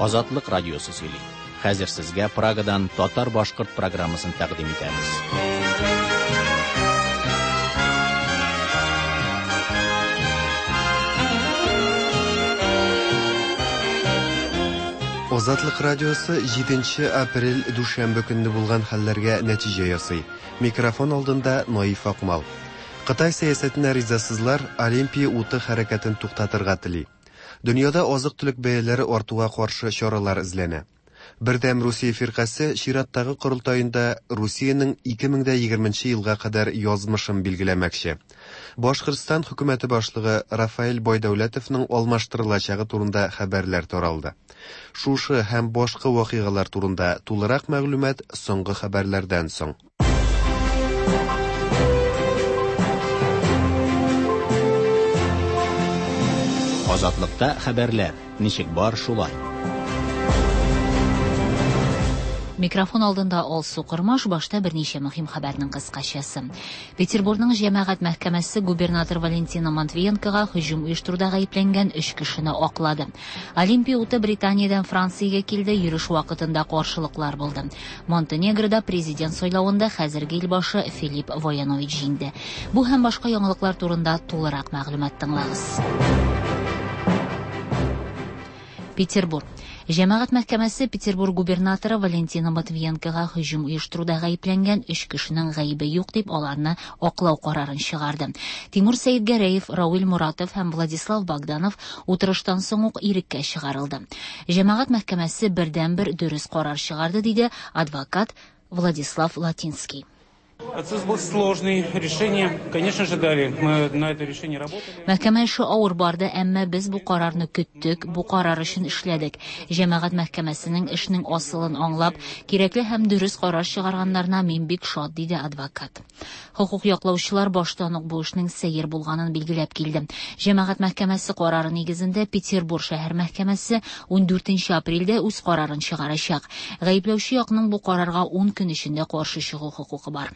Азатлык радиосы сөйли. Хәзер сезгә Прагадан татар-башкорт программасын тәкъдим итәбез. Азатлык радиосы 7 апрель дүшәмбе көнне булган хәлләргә нәтиҗә ясый. Микрофон алдында Наиф Акмал. Кытай сәясәтенә ризасызлар Олимпия уты хәрәкәтен туктатырга тели. Дөньяда азык-төлек бәяләре артуга каршы чаралар эзләнә. Бердәм Русия фиркасе чираттагы корылтаенда Русиянең 2020 елга кадәр язмышын билгеләмәкче. Башкортстан хөкүмәте башлыгы Рафаэль Байдәүләтовның алмаштырылачагы турында хәбәрләр таралды. Шушы һәм башка вакыйгалар турында тулырак мәгълүмат соңгы хәбәрләрдән соң. Азатлыкта хәбәрләр ничек бар шулай. Микрофон алдында Алсу Кормаш, башта берничә мөһим хәбәрнең кыскачасы. Петербургның җәмәгать мәхкәмәсе губернатор Валентина Матвиенкога һөҗүм оештыруда гаепләнгән өч кешене аклады. Олимпия уты Британиядән Франциягә килде, йөреш вакытында каршылыклар булды. Монтенегрода президент сайлавында хәзерге илбашы Филипп Воянович җиңде. Бу һәм башка яңалыклар турында тулырак мәгълүмат тыңлагыз. Петербург. Җәмәгать мәхкәмәсе Петербург губернаторы Валентина Матвиенкога һөҗүм оештыруда гаепләнгән өч кешенең гаебе юк дип аларны аклау карарын чыгарды. Тимур Сәидгәрәев, Рауил Муратов һәм Владислав Богданов утырыштан соң ук иреккә чыгарылды. Җәмәгать мәхкәмәсе бердәнбер дөрес карар чыгарды, диде адвокат Владислав Латинский. Процесс был сложный, решение, конечно же, дали. Мы на это решение работали. Мәхкәмә эше авыр барды, әмма без бу карарны көттек, бу карар өчен эшләдек. Җәмәгать мәхкәмәсенең эшнең асылын аңлап, кирәкле һәм дөрес карар чыгарганнарына мин бик шат, диде адвокат. Хокук яклаучылар баштан ук бу эшнең сәер булганын билгеләп килде. Җәмәгать мәхкәмәсе карары нигезендә Петербург шәһәр мәхкәмәсе 14 апрельдә үз карарын чыгарачак. Гаепләүче якның бу карарга 10 көн эчендә каршы чыгу хокукы бар.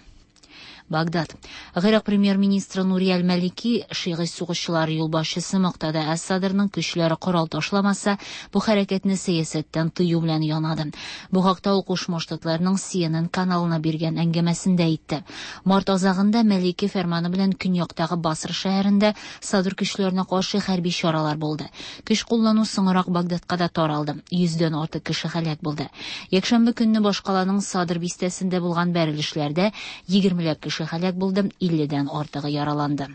Багдад. Гыйрак премьер-министры Нури Әл-Малики шигый сугышчылар юлбашчысы Муктада әс-Садрның көчләре корал ташламаса, бу хәрәкәтне сәясәттән тыю белән янады. Бу хакта ул Кушма Штатларның CNN каналына биргән әңгәмәсендә әйтте. Март азагында Малики фәрманы белән көньяктагы Басра шәһәрендә Садр көчләренә каршы хәрби чаралар булды. Көч куллану соңрак Багдадка да таралды. 100дән артык кеше һәлак булды. Якшәмбе көнне башкаланың Садр бистәсендә булган бәрелешләрдә 20ләп кеше һәлак булды, 50дән артыгы яраланды.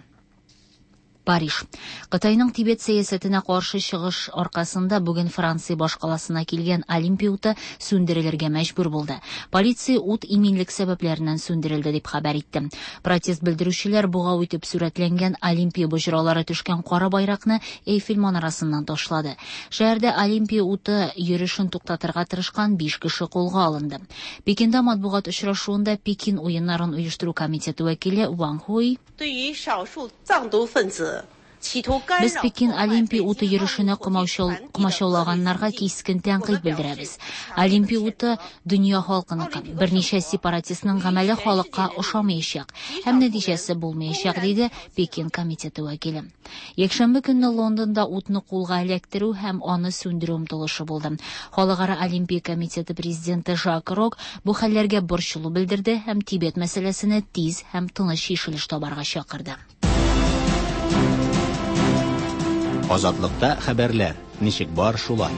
Париж. Кытайның Тибет сәясәтенә каршы чыгыш аркасында бүген Франция башкаласына килгән Олимпия уты сүндерелергә мәҗбүр булды. Полиция ут иминлек сәбәпләреннән сүндерелде дип хәбәр итте. Протест белдерүчеләр бугау итеп сурәтләнгән Олимпия боҗралары төшкән кара байракны Эйфель манарасыннан ташлады. Шәһәрдә Олимпия уты йөрешен туктатырга тырышкан 5 кеше кулга алынды. Пекинда матбугат очрашуында Пекин уеннарын оештыру комитеты вәкиле Ван Хуй Без Пекин Олимпия уты йөрешенә комачаулаганнарга кискен тәнкыйть белдерәбез. Олимпия уты дөнья халкыныкы. Берничә сепаратистның гамәле халыкка ошамаячак һәм нәтиҗәсе булмаячак, диде Пекин комитеты вәкиле. Якшәмбе көнне Лондонда утны кулга эләктерү һәм аны сүндерү омтылышы булды. Халыкара Олимпия комитеты президенты Жак Рок бу хәлләргә борчылу белдерде һәм Тибет мәсьәләсенә тиз һәм тыныч чишелеш табарга чакырды. Азатлыкта хәбәрләр ничек бар шулай.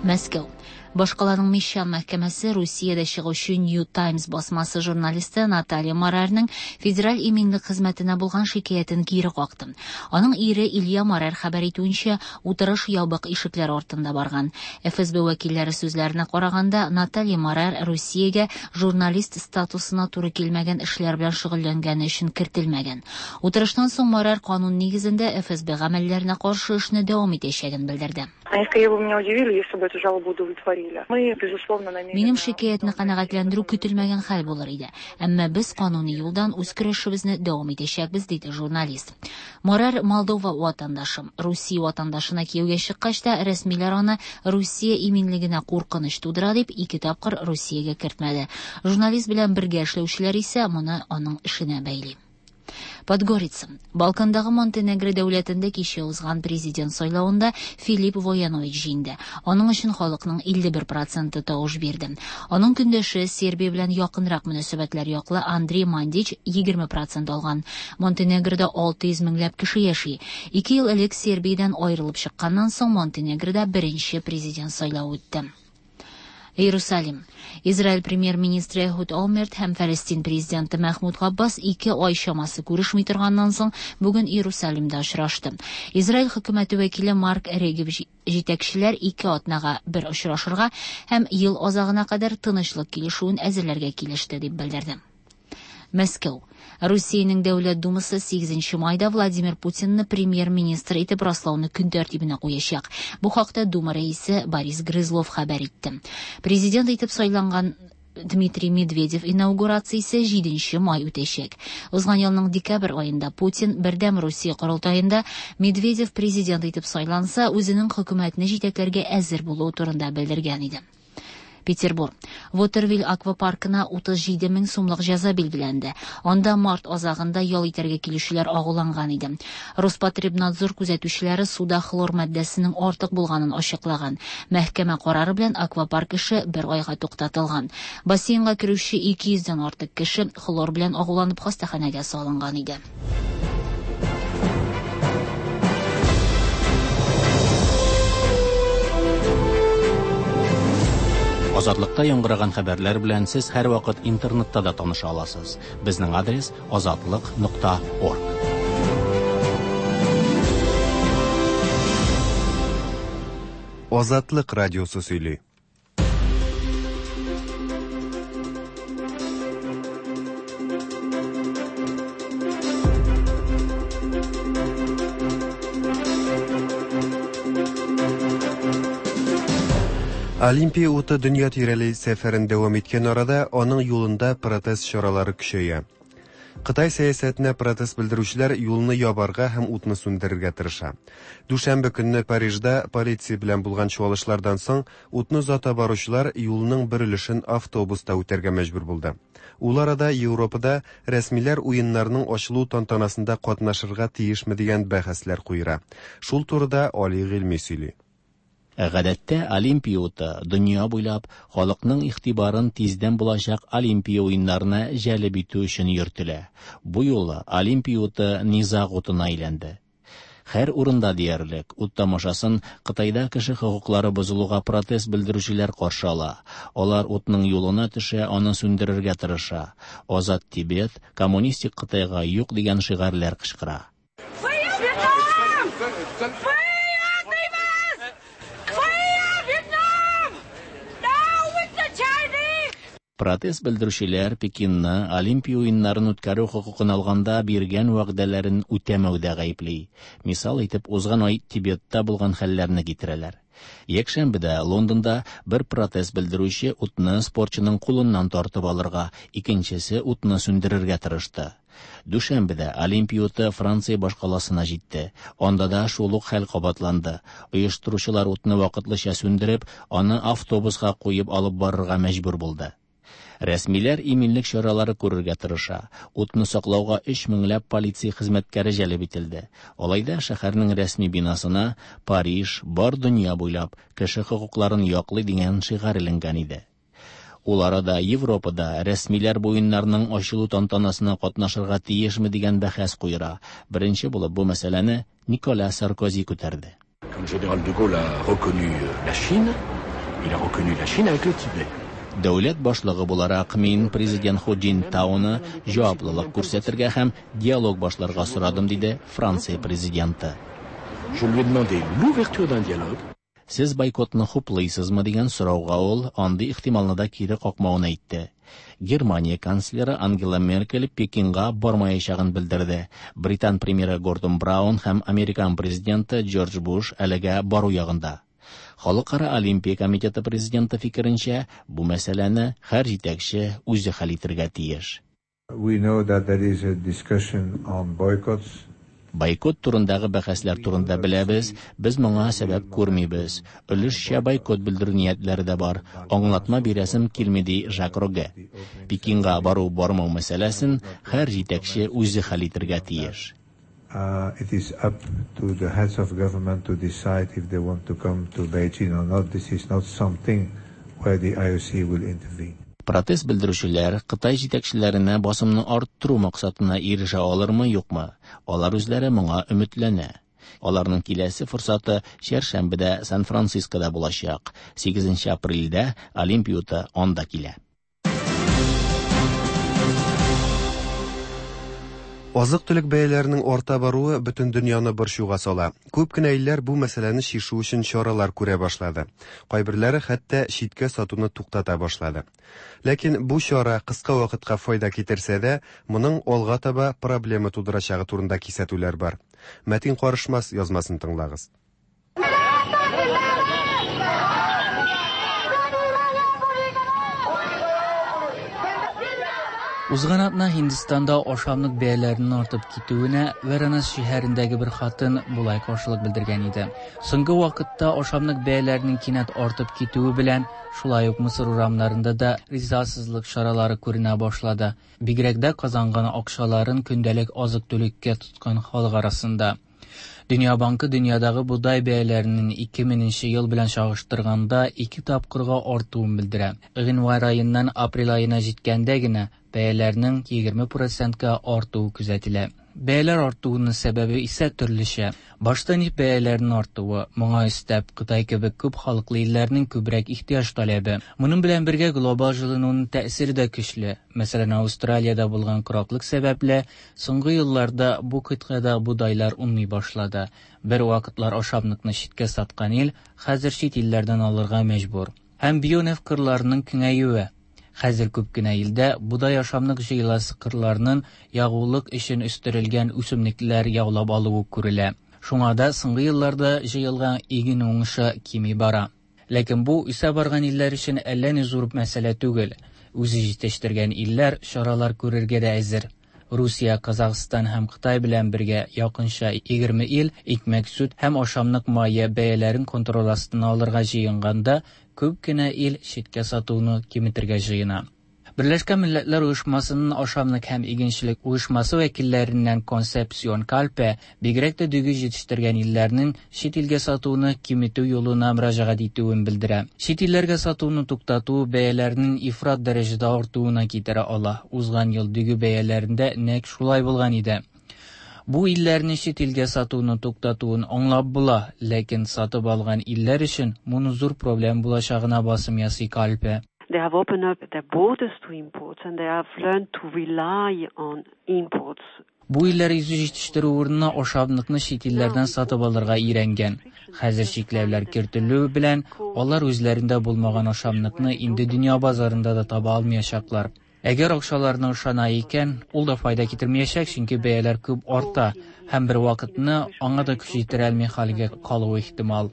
Мәскәү. Башкаланың Мещан мәхкәмәсе Русиядә чыгучы New Times басмасы журналисты Наталья Морарның федераль иминлек хезмәтенә булган шикаятен кире какты. Аның ире Илья Морар хәбәр итүенчә, утырыш ябык ишекләр артында барган. ФСБ вәкилләре сүзләренә караганда, Наталья Морар Русиягә журналист статусына туры килмәгән эшләр белән шөгыльләнгәне өчен кертелмәгән. Утырыштан соң Морар канун нигезендә ФСБ гамәлләренә каршы эшне дәвам итәчәген белдерде. Они скорее бы меня удивили, если бы эту жалобу удовлетворили. Мы, безусловно, намерены... Минем шикаятьне канәгатьләндерү көтелмәгән хәл булыр иде. Әмма без кануни юлдан үз көрәшебезне дәвам итәчәкбез, диде журналист. Морар Молдова ватандашы. Русия ватандашына кияүгә чыккач та рәсмиләр аны Русия иминлегенә куркыныч тудыра дип ике тапкыр Русиягә кертмәде. Журналист белән бергә эшләүчеләр исә моны аның эшенә бәйли. Подгорица. Балкандагы Монтенегро дәүләтендә кичә узган президент сайлавында Филипп Воянович җиңде. Аның өчен халыкның 51 проценты тавыш бирде. Аның көндәше Сербия белән якынрак мөнәсәбәтләр яклы Андрей Мандич 20 процент алган. Монтенегрода 600 меңләп кеше яши. Ике ел элек Сербиядән аерылып чыкканнан соң Монтенегрода беренче президент сайлавы үтте. Иерусалим. Израиль премьер-министры Эхуд Олмерт һәм Фәлестин президенты Мәхмүд Габбас ике ай чамасы күрешми торганнан соң бүген Иерусалимда очрашты. Израиль хөкүмәте вәкиле Марк Регев җитәкчеләр ике атнага бер очрашырга һәм ел азагына кадәр тынычлык килешүен әзерләргә килеште дип белдерде. Мәскәү. Русиянең Дәүләт Думасы 8 майда Владимир Путинны премьер-министр итеп раслауны көн тәртибенә куячак. Бу хакта Дума рәисе Борис Грызлов хәбәр итте. Президент итеп сайланган Дмитрий Медведев инаугурациясе 7 май үтәчәк. Узган елның декабрь аенда Путин Бердәм Русия корылтаенда Медведев президент итеп сайланса, үзенең хөкүмәтне җитәкләргә әзер булуы турында белдергән иде. Петербург. Вотервиль аквапаркына 37 мең сумлык җәза билгеләнде. Анда март азагында ял итәргә килүчеләр агуланган иде. Роспотребнадзор күзәтүчеләре суда хлор матдәсенең артык булганын ачыклаган. Мәхкәмә карары белән аквапарк эше бер айга туктатылган. Бассейнга керүче 200 дән артык кеше хлор белән агуланып хастаханәгә салынган иде. Азатлыкта яңгыраган хәбәрләр белән сез һәрвакыт интернетта да таныша аласыз. Безнең адрес azatliq.org. Азатлык радиосы сөйли. Олимпия уты дөнья тирәли сәфәрен дәвам иткән арада аның юлында протест чаралары көчәя. Кытай сәясәтенә протест белдерүчеләр юлны ябарга һәм утны сүндерергә тырыша. Дүшәмбе көнне Парижда полиция белән булган чуалышлардан соң утны озата баручылар юлның бер өлешен автобуста үтәргә мәҗбүр булды. Ул арада Европада рәсмиләр уеннарның ачылу тантанасында катнашырга тиешме дигән бәхәсләр куера. Шул турыда Али Гыйльми сөйли. Гадәттә Олимпия уты дөнья буйлап халыкның игътибарын тиздән булачак Олимпия уеннарына җәлеп итү өчен йөртелә. Бу юлы Олимпия уты низаг утына әйләнде. Һәр урында диярлек ут тамашасын Кытайда кеше хокуклары бозылуга протест белдерүчеләр каршы ала. Алар утның юлына төшә, аны сүндерергә тырыша. Азат Тибет, коммунистик Кытайга юк дигән шигарьләр кычкыра. Протест белдерүчеләр Пекинны Олимпия уеннарын үткәрү хокукын алганда биргән вәгъдәләрен үтәмәүдә гаепли. Мисал итеп узган ай Тибетта булган хәлләрне китерәләр. Якшәмбедә Лондонда бер протест белдерүче утны спортчының кулыннан тартып алырга, икенчесе утны сүндерергә тырышты. Дүшәмбедә Олимпия уты Франция башкаласына җитте. Анда да шул ук хәл кабатланды. Оештыручылар утны вакытлыча сүндереп, аны автобуска куеп алып барырга мәҗбүр булды. Рәсмиләр иминлек чаралары күрергә тырыша. Утны саклауга 3 меңләп полиция хезмәткәре җәлеп ителде. Алай да шәһәрнең рәсми бинасына Париж бар дөнья буйлап кеше хокукларын яклый дигән шигарь эленгән иде. Ул арада Европада рәсмиләр бу уеннарның ачылу тантанасына катнашырга тиешме дигән бәхәс куера. Беренче булып бу мәсьәләне Никола Саркози күтәрде. Quand le général de Gaulle a reconnu la Chine, il a reconnu la Chine avec le Tibet. Дәүләт башлыгы буларак мин президент Ху Цзиньтауны җаваплылык күрсәтергә һәм диалог башларга сорадым, диде Франция президенты. Je lui ai demandé l'ouverture d'un dialogue. Сез бойкотны хуплыйсызмы дигән сорауга ул андый ихтималны да кире какмавын әйтте. Германия канцлеры Ангела Меркель Пекинга бармаячагын белдерде. Британ премьеры Гордон Браун һәм американ президенты Джордж Буш әлегә бару ягында. Халыкара Олимпия комитеты президенты фикеренчә, бу мәсьәләне һәр җитәкче үзе хәл итәргә тиеш. We know that there is a discussion on boycotts. Бойкот турындагы бәхәсләр турында беләбез, без моңа сәбәп күрмибез. Өлешчә бойкот белдерү ниятләре дә бар. Аңлатма бирәсем килми, ди Жак Рогге. Пекинга бару-бармау мәсьәләсен һәр җитәкче үзе хәл итәргә тиеш. It is up to the heads of government to decide if they want to come to Beijing or not. This is not something where the IOC will intervene. Протест белдерүчеләр Кытай җитәкчеләренә басымны арттыру максатына ирешә алырмы, юкмы? Алар үзләре моңа өметләнә. Аларның киләсе форсаты чәршәмбедә Сан-Францискода булачак. 8 апрельдә Олимпия уты анда килә. Азык-төлек бәяләренең арта баруы бөтен дөньяны борчуга сала. Күп кенә илләр бу мәсьәләне чишү өчен чаралар күрә башлады. Кайберләре хәтта читкә сатуны туктата башлады. Ләкин бу чара кыска вакытка файда китерсә дә, моның алга таба проблема тудырачагы турында кисәтүләр бар. Мәтин Карышмас язмасын тыңлагыз. Узган атна Һиндстанда ашамлык бәяләренең артып китүенә Варанас шәһәрендәге бер хатын болай каршылык белдергән иде. Соңгы вакытта ашамлык бәяләренең кинәт артып китүе белән шулай ук Мисыр урамнарында да ризасызлык чаралары күренә башлады. Бигрәк дә казанган акчаларын көндәлек азык-төлеккә тоткан халык арасында. Дөнья банкы дөньядагы бодай бәяләренең 2000 ел белән чагыштырганда 2 тапкырга артуын белдерә. Гыйнвар аеннан апрель аена җиткәндә генә бәяләрнең 20%-ка артуы күзәтелә. Бәяләр артуының сәбәбе исә төрлечә. Башта нефть бәяләренең артуы, моңа өстәп Кытай кебек күп халыклы илләрнең күбрәк ихтыяҗ таләбе. Моның белән бергә глобал җылынуның тәэсире дә көчле. Мәсәлән, Австралиядә булган кораклык сәбәпле соңгы елларда бу кыйтгада бодайлар уңмый башлады. Бер вакытлар ашамлыкны читкә саткан ил хәзер чит илләрдән алырга мәҗбүр. Һәм бионефть кырларының киңәюе. Хәзер күп кенә илдә бодай ашамлык җыеласы кырларның ягулык өчен үстерелгән үсемлекләр яулап алуы күрелә. Шуңа да соңгы елларда җыелган иген уңышы кими бара. Ләкин бу үсә барган илләр өчен әллә ни зур мәсьәлә түгел. Үзе җитештергән илләр чаралар күрергә дә әзер. Русия, Казахстан һәм Кытай белән бергә якынча 20 ил икмәк, сөт һәм ашамлык мае бәяләрен контроль астына алырга җыенганда, күп кенә ил читкә сатуны киметергә җыена. Берләшкән Милләтләр Оешмасының ашамлык һәм игенчелек оешмасы вәкилләреннән Консепсион Кальпе бигрәк тә дөге җитештергән илләрнең чит илгә сатуны киметү юлына мөрәҗәгать итүен белдерә. Чит илләргә сатуны туктату бәяләрнең ифрат дәрәҗәдә артуына китерә ала. Узган ел дөге бәяләрендә нәкъ шулай булган иде. Бу илләрне чит илгә сатуны туктатуын аңлап була, ләкин сатып алган илләр өчен моны зур проблем булачагына басым ясый Кальпе. They have opened up their borders to imports and they have learned to rely on imports. Бу илләр үзе җитештерү урынына ашамлыкны чит илләрдән сатып алырга өйрәнгән. Хәзер чикләүләр кертелү белән алар үзләрендә булмаган ашамлыкны инде дөнья базарында да таба алмаячаклар. Әгәр акчаларны ышана икән, ул да файда китермәячәк, чөнки бәяләр күп арта һәм бер вакытны аңа да көч җитерә алмый хәлгә калуы ихтимал.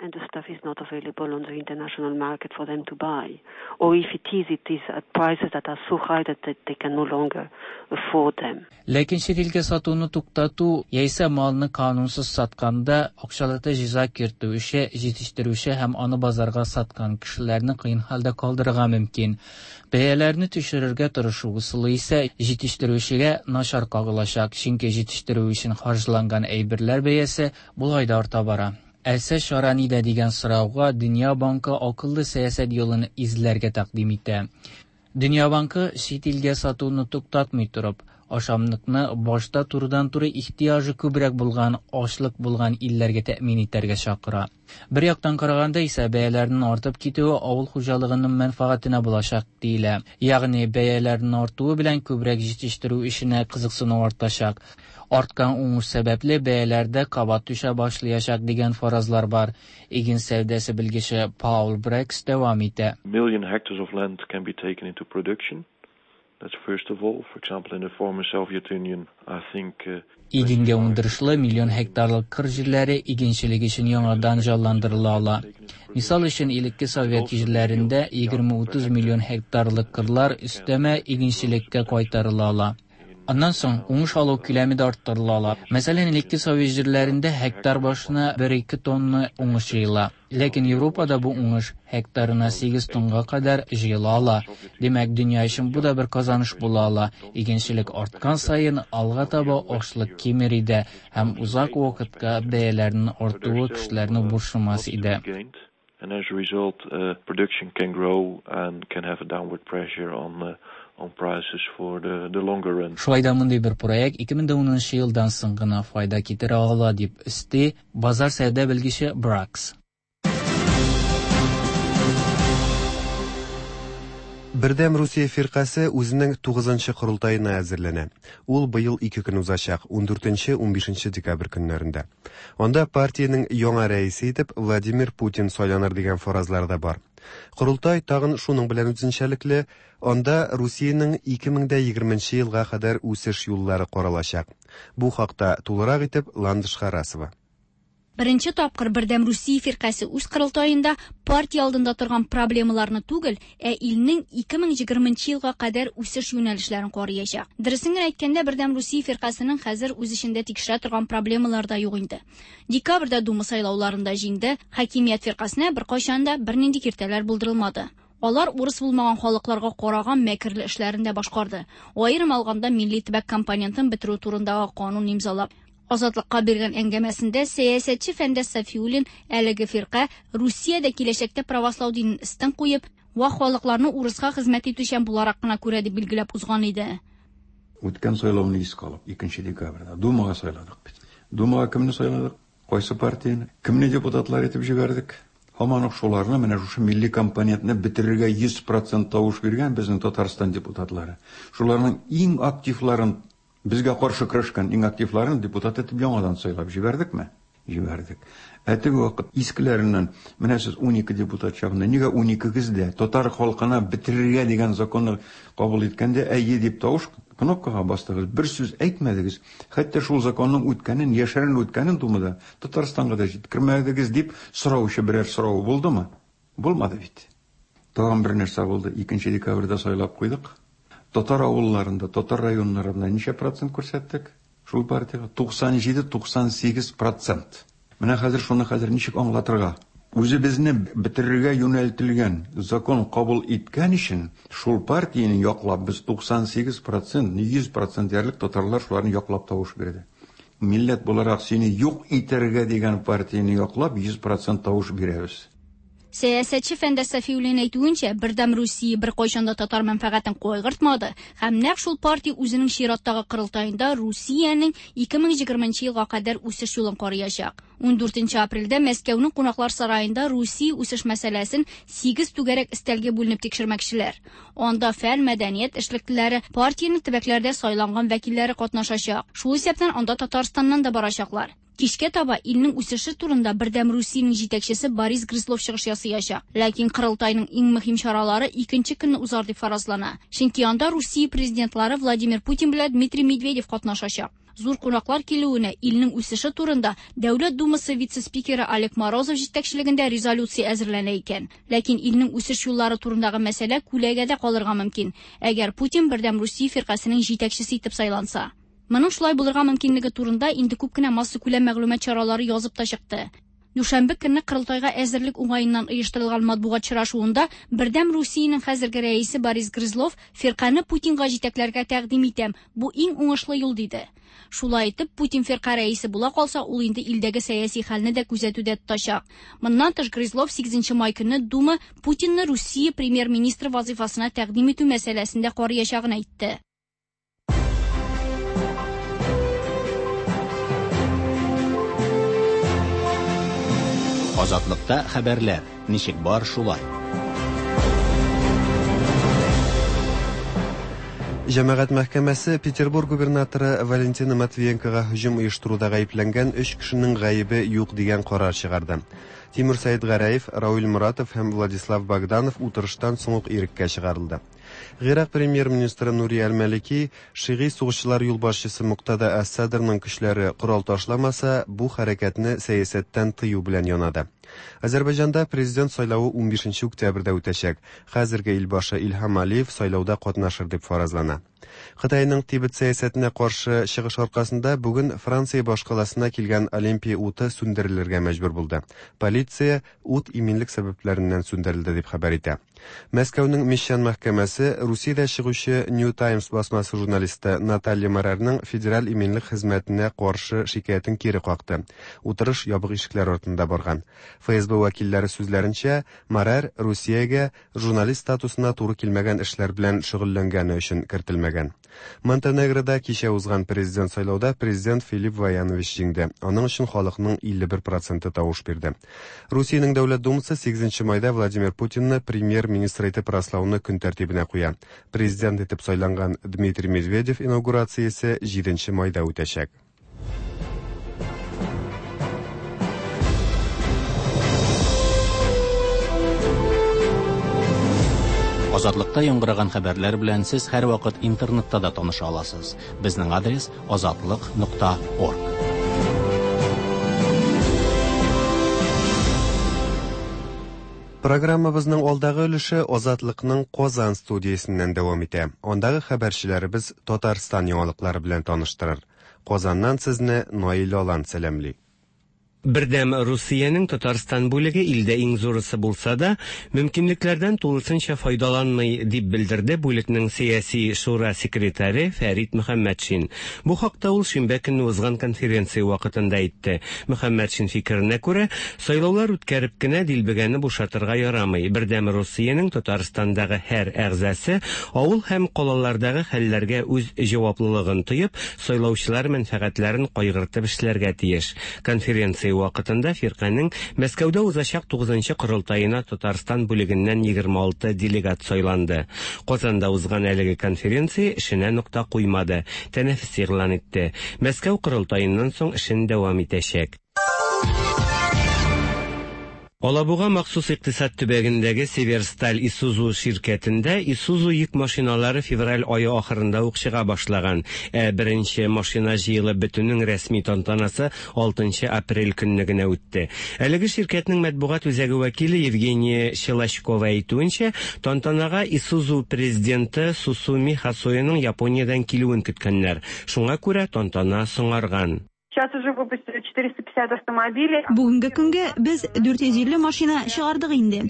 And the stuff is not available on the international market for them to buy. Or if it is, it is at prices that are so high that they can no longer afford them. Ләкин чит илгә сатуны туктату яисә малны канунсыз сатканда акчалата җәза кертү эше җитештерүче һәм аны базарга саткан кешеләрне кыен хәлдә калдырырга мөмкин. Бәяләрне төшерергә тырышу ысулы исә җитештерүчегә начар кагылачак, чөнки җитештерү өчен харҗланган әйберләр бәясе болай да арта бара. Әлсә чара нидә дигән сорауга Дөнья банкы акыллы сәясәт юлын эзләргә тәкъдим итә. Дөнья банкы чит илгә сатуны туктатмый торып, ашамлыкны башта турыдан-туры ихтыяҗы күбрәк булган, ачлык булган илләргә тәэмин итәргә чакыра. Бер яктан караганда исә бәяләрнең артып китүе авыл хуҗалыгының мәнфәгатенә булачак диелә. Ягъни бәяләрнең артуы белән күбрәк җитештерү эшенә кызыксыну артачак. Арткан уңыш сәбәпле бәяләрдә кабат төшә башлаячак дигән фаразлар бар. Иген сәүдәсе белгече Паул Брекс дәвам итә. Million hectares of land can be taken into production. That's first of all. For example, in the former Soviet Union, I think, Игенгә уңдырышлы миллион гектарлык кыр җирләре игенчелек өчен яңадан җанландырыла ала. Мисал өчен, элекке Совет җирләрендә 20-30 миллион гектарлык кырлар өстәмә игенчелеккә кайтарыла ала. Аннан соң уңыш алу күләме дә арттырыла ала. Мәсәлән, элекке совет җирләрендә һектар башына 1-2 тонна уңыш җыела. Ләкин Европада бу уңыш һектарына 8 тонга кадәр җыела ала. Димәк, дөнья өчен бу да бер казаныш була ала. Игенчелек арткан саен алга таба ашлык кимер иде һәм озак вакытка бәяләрнең артуы кешеләрне борчымас иде. And as a result, production can grow and can have a downward pressure on on prices for the longer run. Шулай да мондый бер проект 2010 елдан соң гына файда китерә ала, дип өсти базар сәүдә белгече Бракс. Бердәм Русия фиркасе үзенең 9нчы корылтаена әзерләнә. Ул быел ике көн узачак, 14-15 декабрь көннәрендә. Анда партиянең яңа рәисе итеп Владимир Путин сайланыр дигән фаразлар да бар. Корылтай тагын шуның белән үзенчәлекле, анда Русиянең 2020 елга кадәр үсеш юллары каралачак. Бу хакта тулырак итеп Ландыш Харасова. Беренче тапкыр Бердәм Русия фиркасе үз корылтаенда партия алдында торган проблемаларны түгел, ә илнең 2020 елга кадәр үсеш юнәлешләрен караячак. Дөресен генә әйткәндә, Бердәм Русия фиркасының хәзер үз эчендә тикшерә торган проблемалар да юк инде. Декабрьдә Дума сайлауларында җиңде, хакимият фиркасына беркайчан да бернинди киртәләр булдырылмады. Алар урыс булмаган халыкларга караган мәкерле эшләрен дә башкарды. Аерым алганда, милли төбәк компонентын бетерү турындагы канун имзалап. Азатлыкка биргән әңгәмәсендә сәясәтче Фәндәс Сафиуллин әлеге фирка Русиядә киләчәктә правослау динен өстен куеп, вак халыкларны урыска хезмәт итүчән буларак кына күрә дип билгеләп узган иде. Үткән сайлауны искә алып, 2 декабрьдә Думага сайладык бит. Думага кемне сайладык? Кайсы партияне? Кемне депутатлар итеп җибәрдек? Һаман ук шуларны, менә шушы милли компонентны бетерергә 100% тавыш биргән безнең Татарстан депутатлары. Шуларның иң активларын, безгә каршы көрәшкән иң активларын депутат итеп яңадан сайлап җибәрдекме? Җибәрдек. Ә теге вакыт искеләреннән, менә сез 12 депутат чагында, нигә 12-гез дә татар халкына бетерергә дигән законны кабул иткәндә әйе дип тавыш кнопкага бастыгыз, бер сүз әйтмәдегез, хәтта шул законның үткәнен, яшерен үткәнен Думада Татарстанга да җиткермәдегез дип сораучы берәр сорау булдымы? Булмады бит. Тагын бер нәрсә булды. 2 декабрьдә сайлап куйдык. Татар авылларында, татар районнарында ничә процент күрсәттек? Шул партияга 97-98%. Менә хәзер шуны хәзер ничек аңлатырга? Үзебезне бетерергә юнәлтелгән закон кабул иткән өчен шул партияне яклап без 98%, 100% диярлек татарлар шуларны яклап тавыш бирде. Милләт буларак сине юк итәргә дигән партияне яклап 100% тавыш бирәбез. Сәясәтче Фәндәс Сафиуллин әйтүенчә, Бердәм Русия беркайчан да татар мәнфәгатен кайгыртмады һәм нәкъ шул партия үзенең чираттагы корылтаенда Русиянең 2020 елга кадәр үсеш юлын караячак. 14 апрельдә Мәскәүнең кунаклар сараенда Русия үсеш мәсьәләсен 8 түгәрәк өстәлгә бүленеп тикшермәкчеләр. Анда фән, мәдәният эшлеклеләре, партиянең төбәкләрдә сайланган вәкилләре катнашачак. Шул исәптән анда Татарстаннан да барачаклар. Кичкә таба илнең үсеше турында Бердәм Русиянең җитәкчесе Борис Грызлов чыгыш ясаячак. Ләкин корылтайның иң мөһим чаралары икенче көнне узар дип фаразлана. Чөнки анда Русия президентлары Владимир Путин белән Дмитрий Медведев катнашачак. Зур кунаклар килүенә илнең үсеше турында Дәүләт Думасы вице-спикеры Олег Морозов җитәкчелегендә резолюция әзерләнә икән. Ләкин илнең үсеш юллары турындагы мәсьәлә күләгәдә калырга мөмкин, әгәр Путин Бердәм Русия фиркасының җитәкчесе итеп сайланса. Моның шулай булырга мөмкинлеге турында инде күп кенә массакүләм мәгълүмат чаралары язып та чыкты. Дүшәмбе көнне корылтайга әзерлек уңаеннан оештырылган матбугат очрашуында Бердәм Русиянең хәзерге рәисе Борис Грызлов фирканы Путинга җитәкләргә тәкъдим итәм, бу иң уңышлы юл диде. Шулай итеп, Путин фирка рәисе була калса, ул инде илдәге сәяси хәлне дә күзәтүдә тотачак. Моннан тыш Грызлов 8 май көнне Дума Путинны Русия премьер-министры вазифасына тәкъдим итү мәсьәләсен дә караячагын әйтте. Азатлыкта хәбәрләр ничек бар шулай. Җәмәгать мәхкәмәсе Петербург губернаторы Валентина Матвиенкога һөҗүм оештыруда гаепләнгән 3 кешенең гаебе юк дигән карар чыгарды. Тимур Сәидгәрәев, Рауль Муратов һәм Владислав Богданов утырыштан соң ук иреккә чыгарылды. Гыйрак премьер-министры Нури Әл-Малики шигый сугышчылар юлбашчысы Муктада Әс-Садрның көчләре корал ташламаса, бу хәрәкәтне сәясәттән тыю белән янады. Азәрбайҗанда президент сайлавы 15 октябрьдә үтәчәк. Хәзерге илбашы Илһам Алиев сайлауда катнашыр дип фаразлана. Кытайның Тибет сәясәтенә каршы чыгыш аркасында бүген Франция башкаласына килгән Олимпия уты сүндерелергә мәҗбүр булды. Полиция ут иминлек сәбәпләреннән сүндерелде дип хәбәр итә. Мәскәүнең Мещан мәхкәмәсе Русиядә чыгучы New Times басмасы журналисты Наталья Марарның Федераль иминлек хезмәтенә каршы шикаятен кире какты. Утырыш ябык ишекләр артында барган. ФСБ вәкилләре сүзләренчә, Марар Русиягә журналист статусына туры килмәгән эшләр белән шөгыльләнгәне өчен кертелмәгән. Монтенегрода кичә узган президент сайлауда президент Филипп Ваянович җиңде. Аның өчен халыкның 51 проценты тавыш бирде. Русиянең Дәүләт Думасы 8 майда Владимир Путинны премьер-министр итеп раслауны көн тәртибенә куя. Президент итеп сайланган Дмитрий Медведев инаугурациясе 7 майда үтәчәк. Азатлыкта яңгыраган хәбәрләр белән сез һәрвакыт интернетта да таныша аласыз. Безнең адрес азатлык.орг. Программабызның алдагы өлеше Азатлыкның Казан студиясеннән дәвам итә. Андагы хәбәрчеләребез Татарстан яңалыклары белән таныштырыр. Казаннан сезне Наил Алан сәламли. Бердәм Русиянең Татарстан бүлеге илдә иң зурысы булса да, мөмкинлекләрдән тулысынча файдаланмый, дип белдерде бүлекнең сәяси шура секретаре Фәрит Мөхәммәтшин. Бу хакта ул шимбә көнне узган конференция вакытында әйтте. Мөхәммәтшин фикеренә күрә, сайлаулар үткәреп кенә дилбегәне бушатырга ярамый. Бердәм Русиянең Татарстандагы һәр әгъзасы авыл һәм калалардагы хәлләргә үз җаваплылыгын тоеп, сайлаучылар мәнфәгатьләрен кайгыртып эшләргә тиеш. Конференция вакытында фирканең Мәскәүдә узачак 9нчы корылтаена Татарстан бүлегеннән 26 делегат сайланды. Казанда узган әлеге конференция эшенә нокта куймады, тәнәфес игълан итте. Мәскәү корылтаеннан соң эшен дәвам итәчәк. Алабуга махсус икътисад төбәгендәге Северсталь Исузу ширкәтендә Исузу йөк машиналары февраль ае ахырында ук чыга башлаган. Ә беренче машина җыелып бетүнең рәсми тантанасы 6 апрель көнне генә үтте. Әлеге ширкәтнең матбугат үзәге вәкиле Евгения Щелочкова әйтүенчә, тантанага Исузу президенты Сусуми Хасояның Япониядән килүен көткәннәр. Шуңа күрә тантана соңарган. Сейчас уже выпустили 450 автомобилей. Бүгенге көнгә без 450 машина чыгардык инде.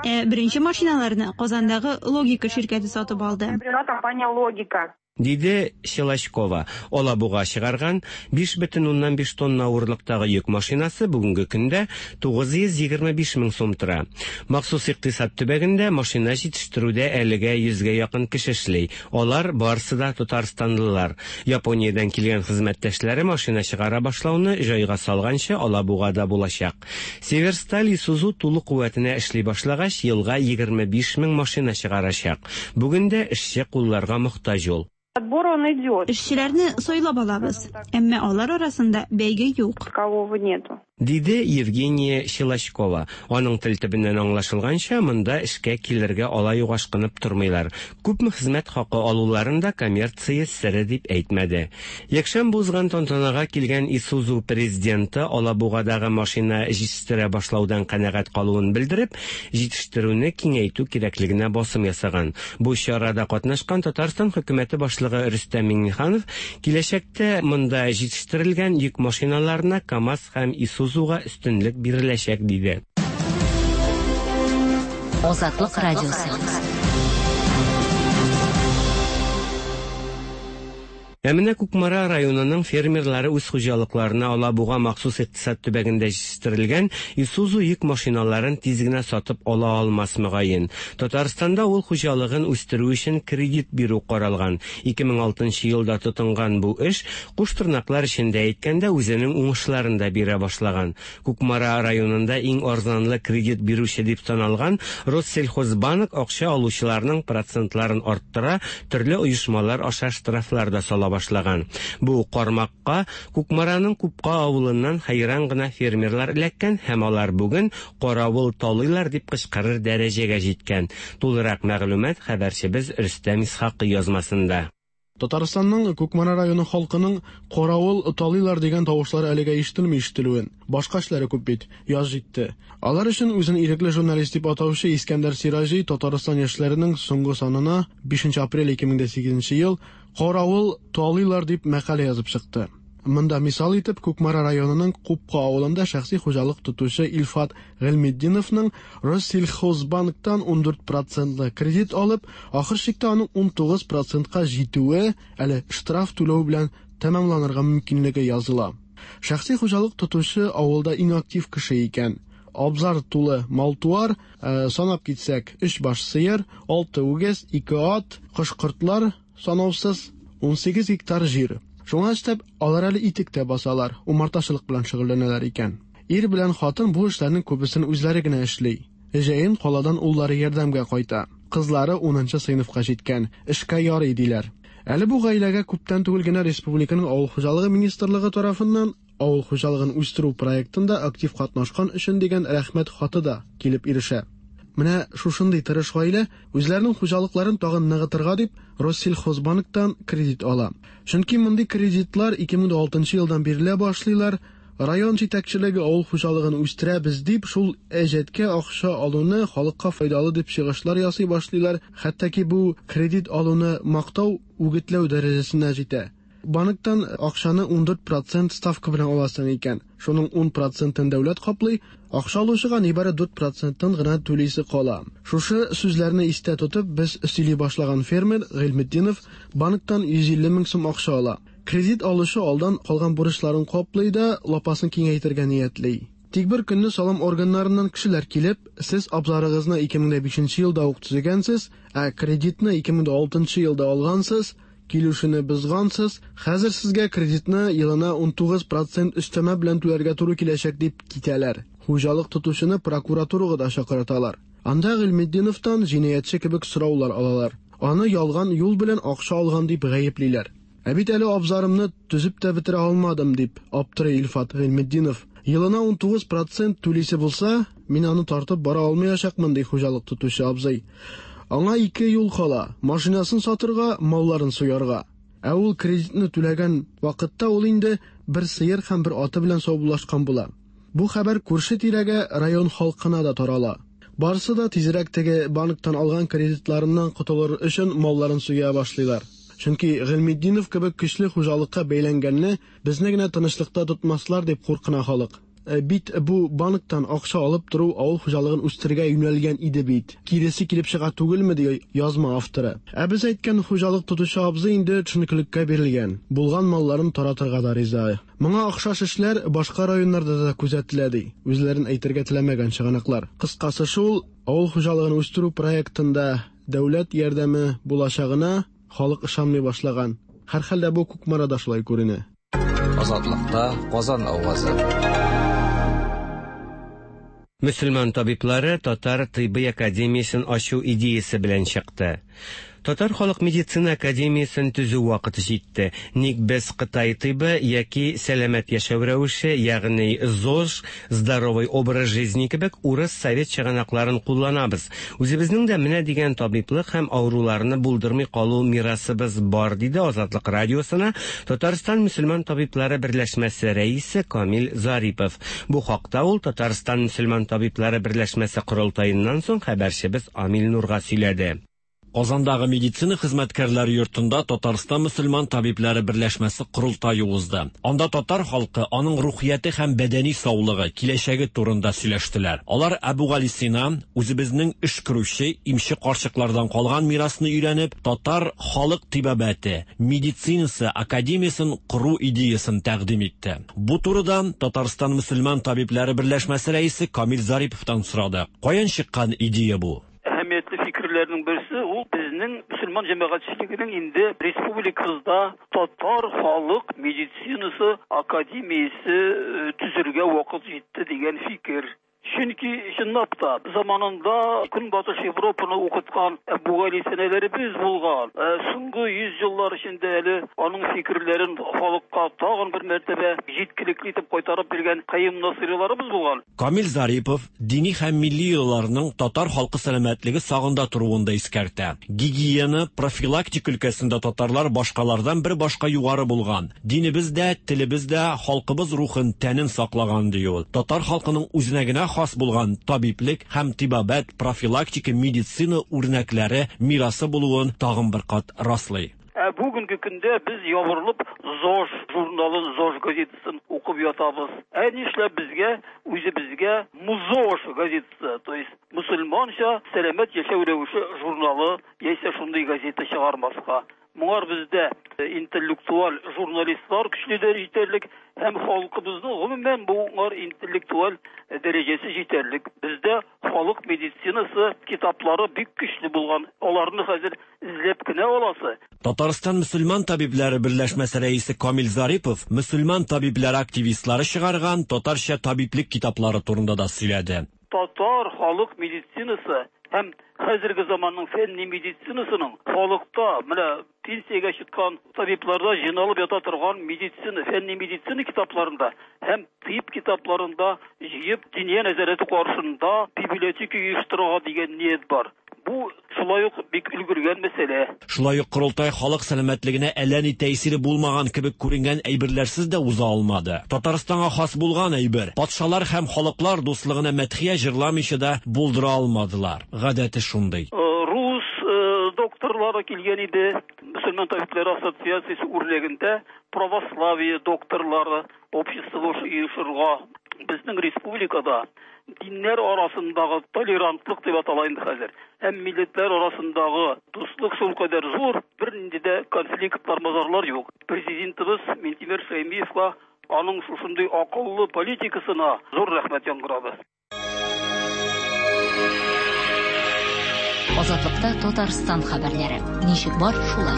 Ә беренче машиналарны Казандагы Логика ширкәте сатып алды. Приобрела компания «Логика». Диде Щелочкова. Алабуга чыгарган 5,5 тонна авырлыктагы йөк машинасы бүгенге көндә 925 мең сум тора. Махсус икътисад төбәгендә машина җитештерүдә әлегә 100гә якын кеше эшли. Алар барысы да татарстанлылар. Япониядән килгән хезмәттәшләре машина чыгара башлауны җайга салганчы Алабугада булачак. Северсталь Исузу тулы куәтенә эшли башлагач, елга 25 мең машина чыгарачак. Бүген дә эшче кулларга мохтаҗ ул. Отбор он идет. Эшчеләрне сайлап алабыз, әмма алар арасында бәйге юк. Такового нету. Диде Евгения Щелочкова. Аның тел төбеннән аңлашылганча, монда эшкә килергә алай ук ашкынып тормыйлар. Күпме хезмәт хакы алуларын да коммерция сере дип әйтмәде. Якшәмбе узган тантанага килгән Исузу президенты Алабугадагы машина җитештерә башлаудан канәгать калуын белдереп, җитештерүне киңәйтү кирәклегенә басым ясаган. Бу чарада катнашкан Татарстан хөкүмәте башлыгы Рөстәм Миңнеханов киләчәктә монда җитештерелгән йөк машиналарына КАМАЗ һәм Исузуга өстенлек биреләчәк диде. Азатлык радиосы. Ә менә Кукмара районының фермерлары үз хуҗалыкларына Алабуга махсус икътисад төбәгендә җитештерелгән Исузу йөк машиналарын тиз генә сатып ала алмас мөгаен. Татарстанда авыл хуҗалыгын үстерү өчен кредит бирү каралган. 2006 елда тотынган бу эш, куш тырнаклар эчендә әйткәндә, үзенең уңышларын да бирә башлаган. Кукмара районында иң арзанлы кредит бирүче дип саналган Россельхозбанк акча алучыларның процентларын арттыра, төрле оешмалар аша штрафлар да сала башлаган. Бу кармакка Кукмараның Купка авылыннан хәйран гына фермерлар эләккән һәм алар бүген каравыл талыйлар дип кычкырыр дәрәҗәгә җиткән. Тулырак мәгълүмат хәбәрчебез Рөстәм Исхакый язмасында. Татарстанның Кукмара районы халкының каравыл талыйлар дигән тавышлары әлегә ишетелми ишетелүен. Башка эшләре күп бит. Яз җитте. Алар өчен үзен ирекле журналист дип атаучы Искәндәр Сираҗи Татарстан яшьләренең соңгы санына 5 апрель 2008 ел Каравыл талыйлар дип мәкалә язып чыкты. Монда мисал итеп Кукмара районының Купка авылында шәхси хуҗалык тотучы Илфат Гыйльметдиновның Россельхозбанктан 14 процентлы кредит алып, ахыр чиктә аның 19 процентка җитүе, әле штраф түләү белән тәмамланырга мөмкинлеге языла. Шәхси хуҗалык тотучы авылда иң актив кеше икән. Абзар тулы мал-туар, санап китсәк, өч баш сыер, алты үгез, ике ат, кош-кортлар санаусыз, 18 гектар җир. Шуңа өстәп, алар әле итек тә басалар, умартачылык белән шөгыльләнәләр икән. Ир белән хатын бу эшләрнең күбесен үзләре генә эшли. Җәен каладан уллары ярдәмгә кайта. Кызлары унынчы сыйныфка җиткән, эшкә ярый, диләр. Әле бу гаиләгә күптән түгел генә республиканың Авыл хуҗалыгы министрлыгы тарафыннан авыл хуҗалыгын үстерү проектында актив катнашкан өчен дигән рәхмәт хаты да килеп ирешә. Менә шушындый тырыш гаилә үзләренең хуҗалыкларын тагын ныгытырга дип Россельхозбанктан кредит ала. Чөнки мондый кредитлар 2006 елдан бирелә башлыйлар. Район җитәкчелеге авыл хуҗалыгын үстерәбез дип, шул әҗәткә акча алуны халыкка файдалы дип чыгышлар ясый башлыйлар. Хәтта ки бу кредит алуны мактау, үгетләү дәрәҗәсенә җитә. Банктан акчаны 14 процент ставка белән аласың икән, шуның 10 процентын дәүләт каплый, акча алучыга нибары 4 процентын гына түлисе кала. Шушы сүзләрне истә тотып, без сөйли башлаган фермер Гыйльметдинов банктан 150 мең сум акча ала. Кредит алучы алдан калган бурычларын каплый да, лапасын киңәйтергә ниятли. Тик бер көнне салым органнарыннан кешеләр килеп, сез абзарыгызны 2005 елда ук төзегәнсез, ә кредитны 2006 елда алгансыз, килешүне бозгансыз, хәзер сезгә кредитны елына 19 процент өстәмә белән түләргә туры киләчәк дип китәләр. Хуҗалык тотучыны прокуратурага да чакырталар. Анда Гыйльметдиновтан җинаятьче кебек сораулар алалар. Аны ялган юл белән акча алган дип гаеплиләр. Ә бит әле абзарымны төзеп тә бетерә алмадым, дип аптырый Илфат Гыйльметдинов. Елына 19 процент түлисе булса, мин аны тартып бара алмаячакмын, ди хуҗалык тотучы абзый. Аңа ике юл кала: машинасын сатырга, малларын суярга. Ә ул кредитны түләгән вакытта ул инде бер сыер һәм бер аты белән саубуллашкан була. Бу хәбәр күрше-тирәгә, район халкына да тарала. Барысы да тизрәк теге банктан алган кредитларыннан котылыр өчен малларын суя башлыйлар. Чөнки Гыйльметдинов кебек көчле хуҗалыкка бәйләнгәнне безне генә тынычлыкта тотмаслар дип куркына халык. Бит бу банктан акча алып тору авыл хуҗалыгын үстерергә юнәлгән иде бит. Киресе килеп чыга түгелме, ди язма авторы. Ә без әйткән хуҗалык тотучы абзый инде төшенкелеккә бирелгән. Булган малларын таратырга да риза. Моңа охшаш эшләр башка районнарда да күзәтелә, ди үзләрен әйтергә теләмәгән чыганаклар. Кыскасы шул, авыл хуҗалыгын үстерү проектында дәүләт ярдәме булачагына халык ышанмый башлаган. Һәрхәлдә бу Кукмарада шулай күренә. Азатлыкта Казан авазы. Мөселман табиблары Татар тыйбый академиясен ачу идеясе белән чыкты. Татар халык медицина академиясен төзү вакыты җитте. Ник без Кытай тыйбы яки сәламәт яшәү рәвеше, ягъни ЗОЖ, здоровый образ жизни кебек урыс совет чыганакларын кулланабыз. Үзебезнең дә менә дигән табиблык һәм авыруларны булдырмый калу мирасыбыз бар, диде Азатлык радиосына Татарстан мөселман табиблары берләшмәсе рәисе Камил Зарипов. Бу хакта ул Татарстан мөселман табиблары берләшмәсе корылтаеннан соң хәбәрчебез Амил Нурга сөйләде. Казандагы медицина хезмәткәрләре йортында Татарстан мөселман табибләре берләшмәсе корылтае узды. Анда татар халкы, аның рухияте һәм бәдәни саулыгы, киләчәге турында сөйләштеләр. Алар Әбүгалисина, үзебезнең өшкерүче, имче карчыклардан калган мирасны өйрәнеп, татар халык тибабәте, медицинасы академиясен кору идеясын тәкъдим итте. Бу турыда Татарстан мөселман табибләре берләшмәсе рәисе Камил Зариповтан сорады. Каян чыккан идея бу? Әһәмиятле фикерләрнең берсе ул безнең мөселман җәмәгатьчелегенең инде республикабызда татар халык медицинасы академиясе төзергә вакыт җитте дигән фикер. Чөнки чынлап та заманында Көнбатыш Европаны укыткан Әбүгалисинәләребез булган. Соңгы 100 еллар эчендә әле аның фикерләрен халыкка тагын бер мәртәбә җиткелекле итеп кайтарып биргән Каюм Насыйриларыбыз булган. Камил Зарипов дини һәм милли йолаларның татар халкы сәламәтлеге сагында торуын да искәртә. Гигиена, профилактика өлкәсендә татарлар башкалардан бер башка югары булган. Динебез дә, телебез дә халкыбыз рухын, тәнен саклаган, ди ул. Татар халкының үзенә генә хас булган табиблек һәм тибабәт, профилактика, медицина үрнәкләре мирасы булуын тагын бер кат раслый. Ә бүгенге көндә без ябырылып ЗОЖ журналын, ЗОЖ газетасын укып ятабыз. Ә нишләп безгә үзебезгә МУЗОЖ газетасы, то есть мөселманча сәламәт яшәү рәвеше журналы яисә шундый газета чыгармаска? Моңар бездә интеллектуаль журналистлар көчле дә җитәрлек һәм халкыбызның гомумән моңар интеллектуаль дәрәҗәсе җитәрлек. Бездә халык медицинасы китаплары бик көчле булган. Аларны хәзер эзләп кенә аласы. Татарстан мөселман табибләре берләшмәсе рәисе Камил Зарипов мөселман табибләре активистлары чыгарган татарча табиблек китаплары турында да сөйләде. Татар халык медицинасы һәм хәзерге заманның фәнни медицинасының халыкта менә пенсиягә чыккан табибларда җыйналып ята торган медицина, фәнни медицина китапларында һәм тыйб китапларында җыеп Диния нәзарәте каршында библиотека оештырырга дигән ният бар. Бу шулай ук бик өлгергән мәсьәлә. Шулай ук корылтай халык сәламәтлегенә әллә ни тәэсире булмаган кебек күренгән әйберләрсез дә уза алмады. Татарстанга хас булган әйбер, патшалар һәм халыклар дуслыгына мәдхия җырламыйча да булдыра алмадылар. Гадәте шундый. Рус докторлары килгән иде. Мөселман табибләре ассоциациясе үрнәгендә православие докторлары обществосы оешырга. Безнең республикада диннәр арасындагы толерантлык дип атала инде хәзер. Һәм милләтләр арасындагы дуслык шулкадәр зур, бернинди дә конфликтлар, мазарлар юк. Президентыбыз Минтимер Шәймиевка аның шушындый акыллы политикасына зур рәхмәт яңгырады. Азатлыкта Татарстан хәбәрләре. Ничек бар, шулай.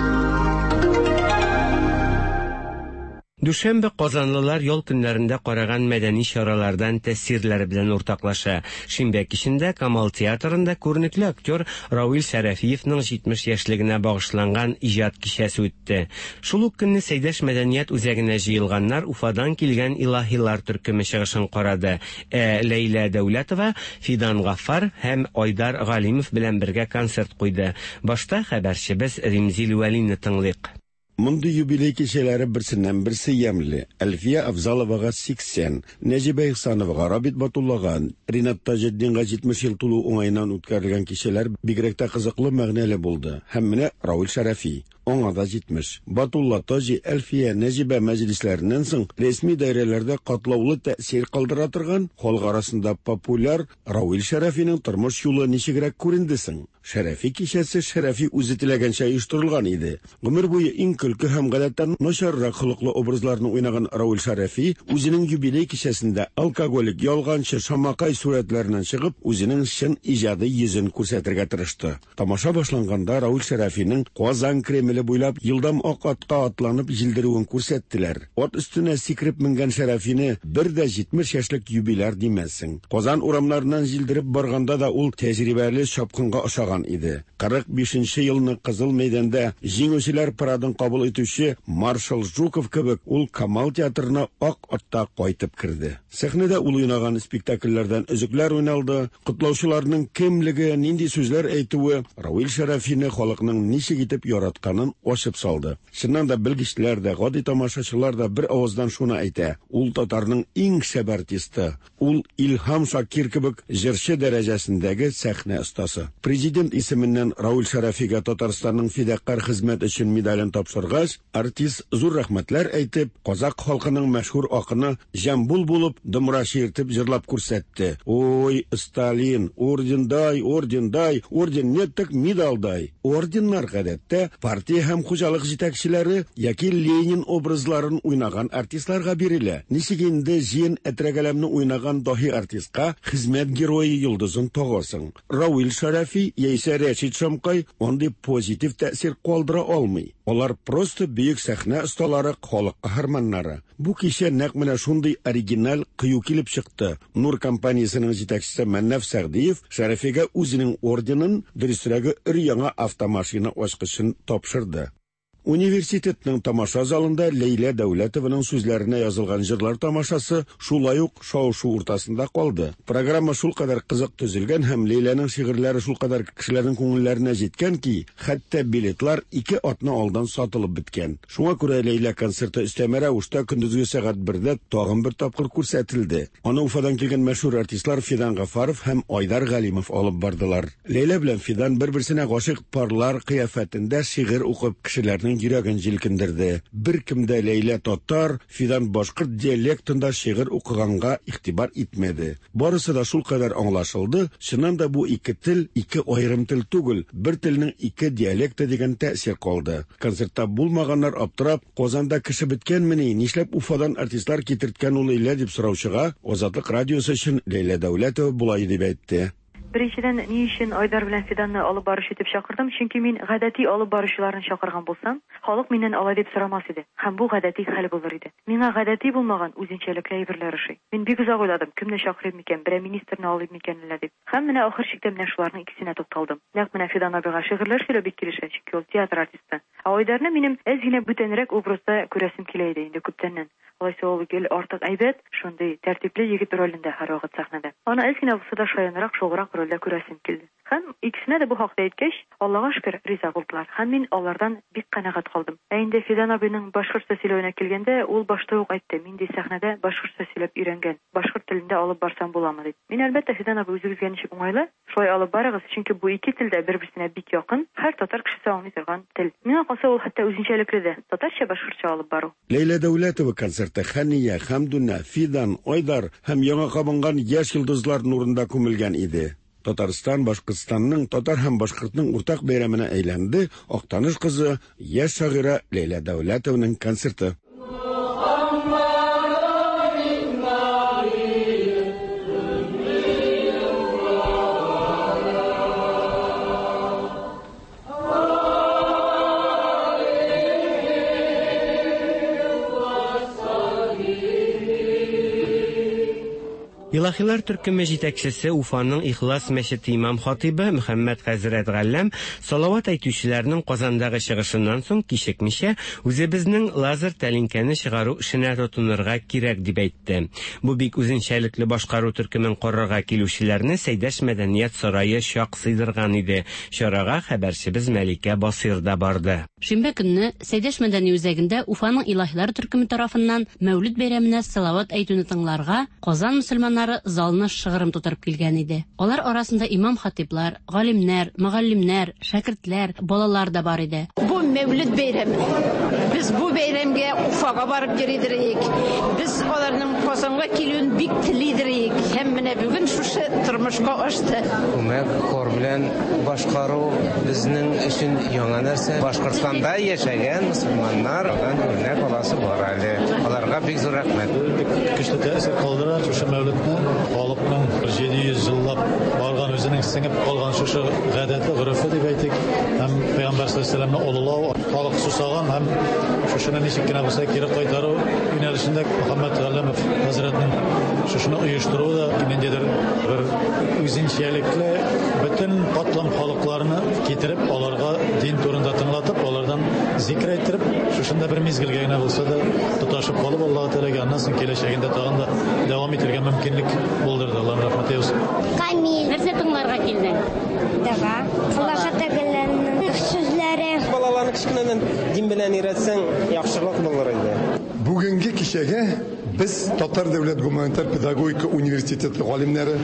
Дүшәмбе казанлылар ял көннәрендә караган мәдәни чаралардан тәэсирләре белән уртаклаша. Шимбә кичендә Камал театрында күренекле актер Равил Шәрәфиевның 70 яшьлегенә багышланган иҗат кичәсе үтте. Шул ук көнне Сәйдәш мәдәният үзәгенә җыелганнар Уфадан килгән Илаһилар төркеме чыгышын карады. Ә Ләйлә Дәүләтова Фидан Гаффар һәм Айдар Галимов белән бергә концерт куйды. Башта хәбәрчебез Римзил Вәлине тыңлыйк. Мондый юбилей кичәләре берсеннән-берсе ямьле. Әлфия Авзаловага 80, Нәҗибә Ихсановага, Рабит Батуллага, Ринат Таҗетдинга 70 ел тулу уңаеннан үткәрелгән кичәләр бигрәк тә кызыклы, мәгънәле булды. Һәм менә Равил Шәрәфи. Аңа да 70. Батулла, Таҗи, Әлфия, Нәҗибә мәҗлесләреннән соң рәсми даирәләрдә катлаулы тәэсир калдыра торган, халык арасында популяр Равил Шәрәфинең тормыш юлы ничегрәк күренде соң? Шәрәфи кичәсе Шәрәфи үзе теләгәнчә оештырылган иде. Гомер буе иң көлке һәм гадәттән начаррак холыклы образларны уйнаган Равил Шәрәфи үзенең юбилей кичәсендә алкоголик, ялганчы, шамакай сурәтләреннән чыгып, үзенең чын иҗади йөзен күрсәтергә тырышты. Тамаша башланганда Равил Шәрәфинең Казан Кремле буйлап елдам ак атка атланып җилдерүен күрсәттеләр. Ат өстенә сикереп менгән Шәрәфине бер дә 70 яшьлек юбиляр димәссең. Казан урамнарыннан җилдереп барганда да ул тәҗрибәле чапкынга ошаган иде. 45 елны Кызыл мәйданда җиңүчеләр парадын кабул итүче маршал Жуков кебек ул Камал театрына ак атта кайтып керде. Сәхнәдә ул уйнаган спектакльләрдән өзекләр уйналды. Котлаучыларның кемлеге, нинди сүзләр әйтүе Равил Шәрәфине халыкның ничек итеп яратканын ачып салды. Чыннан да белгечләр дә, гади тамашачылар да бер авыздан шуны әйтә: ул татарның иң шәп артисты. Ул Илһам Шакир кебек җырчы дәрәҗәсендәге сәхнә остасы. Президент исеменнән Равил Шәрәфигә Татарстанның фидакарь хезмәт өчен медален тапшыргач, артист зур рәхмәтләр әйтеп, казак халкының мәшһүр акыны Җамбул булып домра чиертеп җырлап күрсәтте. Ой, Сталин, орден дай, орден дай, орден нет так медаль дай. Орденнар гадәттә партия һәм хуҗалык җитәкчеләре яки Ленин образларын уйнаган артистларга бирелә. Ничек инде Җиен Әтрәгәләмне уйнаган даһи артистка хезмәт герое йолдызын тагасың? Равил Шәрәфи яисә яисә Рәшит Шамкай андый позитив тәэсир калдыра алмый. Алар просто бөек сәхнә осталары, халык каһарманнары. Бу кичә нәкъ менә шундый оригиналь, кыю килеп чыкты. Нур компаниясенең җитәкчесе Мәннаф Сәгъдиев Шәрәфигә үзенең орденын, дөресрәге, өр-яңа автомашина ачкычын тапшырды. Университетның тамаша залында Ләйлә Дәүләтованың сүзләренә язылган җырлар тамашасы шулай ук шау-шу уртасында калды. Программа шулкадәр кызык төзелгән һәм Ләйләнең шигырьләре шулкадәр кешеләрнең күңелләренә җиткән ки, хәтта билетлар ике атна алдан сатылып беткән. Шуңа күрә Ләйлә концерты өстәмә рәвештә көндезге сәгать бердә тагын бер тапкыр күрсәтелде. Аны Уфадан килгән мәшһүр артистлар Фидан Гафаров һәм Айдар Галимов алып бардылар. Ләйлә белән Фидан бер-берсенә гашыйк парлар кыяфәтендә шигырь укып кешеләрнең йөрәген җилкендерде. Беркем дә Ләйлә татар, Фидан башкорт диалектында шигырь укыганга игътибар итмәде. Барысы да шулкадәр аңлашылды, чыннан да бу ике тел, ике аерым тел түгел, бер телнең ике диалекты дигән тәэсир калды. Концертта булмаганнар аптырап, Казанда кеше беткәнмени, нишләп Уфадан артистлар китерткән ул Ләйлә дип сораучыга, Азатлык радиосы өчен Ләйлә Дәүләтова болай дип әйтте. Беренчедән, ни өчен Айдар белән Фиданны алып баручы итеп чакырдым, чөнки мин гадәти алып баручыларны чакырган булсам, халык миннән алай дип сорамас иде, һәм бу гадәти хәл булыр иде. Миңа гадәти булмаган, үзенчәлекле әйберләр ошый. Мин бик озак уйладым, кемне чакырыйм микән, берәр министрны алыйм микән әллә дип. Һәм менә ахыр чиктә менә шуларның икесенә тукталдым. Нәкъ менә Фидан абыйга шигырьләр сөйләү бик килешә, чөнки ул театр артисты. Ә Айдарны минем әз генә бүтәнрәк образда күрәсем килә иде инде күптәннән. Алайса ул гел артык әйбәт, шундый тәртипле егет ролендә һәрвакыт сәхнәдә. Аны әз генә булса да шаянрак, шуграк рольдә күрәсем килде. Һәм икесенә дә бу хакта әйткәч, Аллага шөкер, риза булдылар. Һәм мин алардан бик канәгать калдым. Ә инде Фидан абыйның башкортча сөйләвенә килгәндә, ул башта ук әйтте, мин ди сәхнәдә башкортча сөйләп өйрәнгән, башкорт телендә алып барсам буламы дип. Мин, әлбәттә, Фидан абый, үзегезгә ничек уңайлы, Шулай алып барыгыз, чөнки бу ике тел дә бер-берсенә бик якын, һәр татар кешесе аңлый торган тел. Миңа калса, ул хәтта үзенчәлекле дә, татарча-башкортча алып бару. Ләйлә Дәүләтова концерты Хәния, Хәмдүнә, Фидан, Айдар һәм яңа кабынган яшь йолдызлар нурында күмелгән иде. Татарстан, Башкортстанның, татар һәм башкортның уртак бәйрәменә әйләнде Актаныш кызы, яшь шагыйрә Ләйлә Дәүләтованың концерты. Илаһилар төркеме җитәкчесе Уфаның Ихлас мәчете имам-хатыйбы Мөхәммәд хәзрәт Галләм салават әйтүчеләрнең Казандагы чыгышыннан соң кичекмичә үзебезнең лазер тәлинкәне чыгару эшенә тотынырга кирәк дип әйтте. Бу бик үзенчәлекле башкару төркемен карарга килүчеләрне Сәйдәш мәдәният сарае чак сыйдырган иде. Чарага хәбәрчебез Мәликә Басыйр да барды. Шимбә көнне Сәйдәш мәдәни үзәгендә Уфаның Илаһилар төркеме тарафыннан Мәүлид бәйрәменә салават әйтүне тыңларга Казан мөселманнары залны шыгрым тутырып килгән иде. Алар арасында имам-хатыйблар, галимнәр, мөгаллимнәр, шәкертләр, балалар да бар иде. Бу Мәүлид бәйрәме. Без бу бәйрәмгә Уфага барып йөридер идек. Без аларның Казанга килүен бик телидер идек. Һәм менә бүген шушы тормышка ашты. Күмәк хор белән башкару безнең өчен яңа нәрсә. Башкортстанда яшәгән мөселманнар алдан үрнәк аласы бар әле. Аларга бик зур рәхмәт. Бик көчле тәэсир калдыра шушы Мәүлетне. Халыкның 700 еллап барган үзенең сеңеп калган шушы гадәте, горефе дип әйтик, һәм Пәйгамбәр саллаллаһу алейһи олылау, халык сусаган һәм шушыны ничек кенә булса кире кайтару юнәлешендә Мөхәммәд Галләмов хәзрәтнең шушыны оештыруы да ниндидер бер үзенчәлекле бөтен катлам халыкларны китереп, аларга дин турында тыңлатып, алардан зикр әйттереп, шушында бер мизгелгә генә булса да тоташып калып, Аллаһ Тәгаләгә аннан соң киләчәгендә тагын да дәвам итәргә мөмкинлек булдырды. Аллаһның рәхмәте яусын. Камил. Нәрсә тыңларга килдең? Дога. Аллаһы Тәгаләнең сүзләре. Балаларны кечкенәдән дин белән өйрәтсәң, яхшырак булыр иде. Бүгенге кичәгә без Татар дәүләт гуманитар педагогика университеты галимнәре,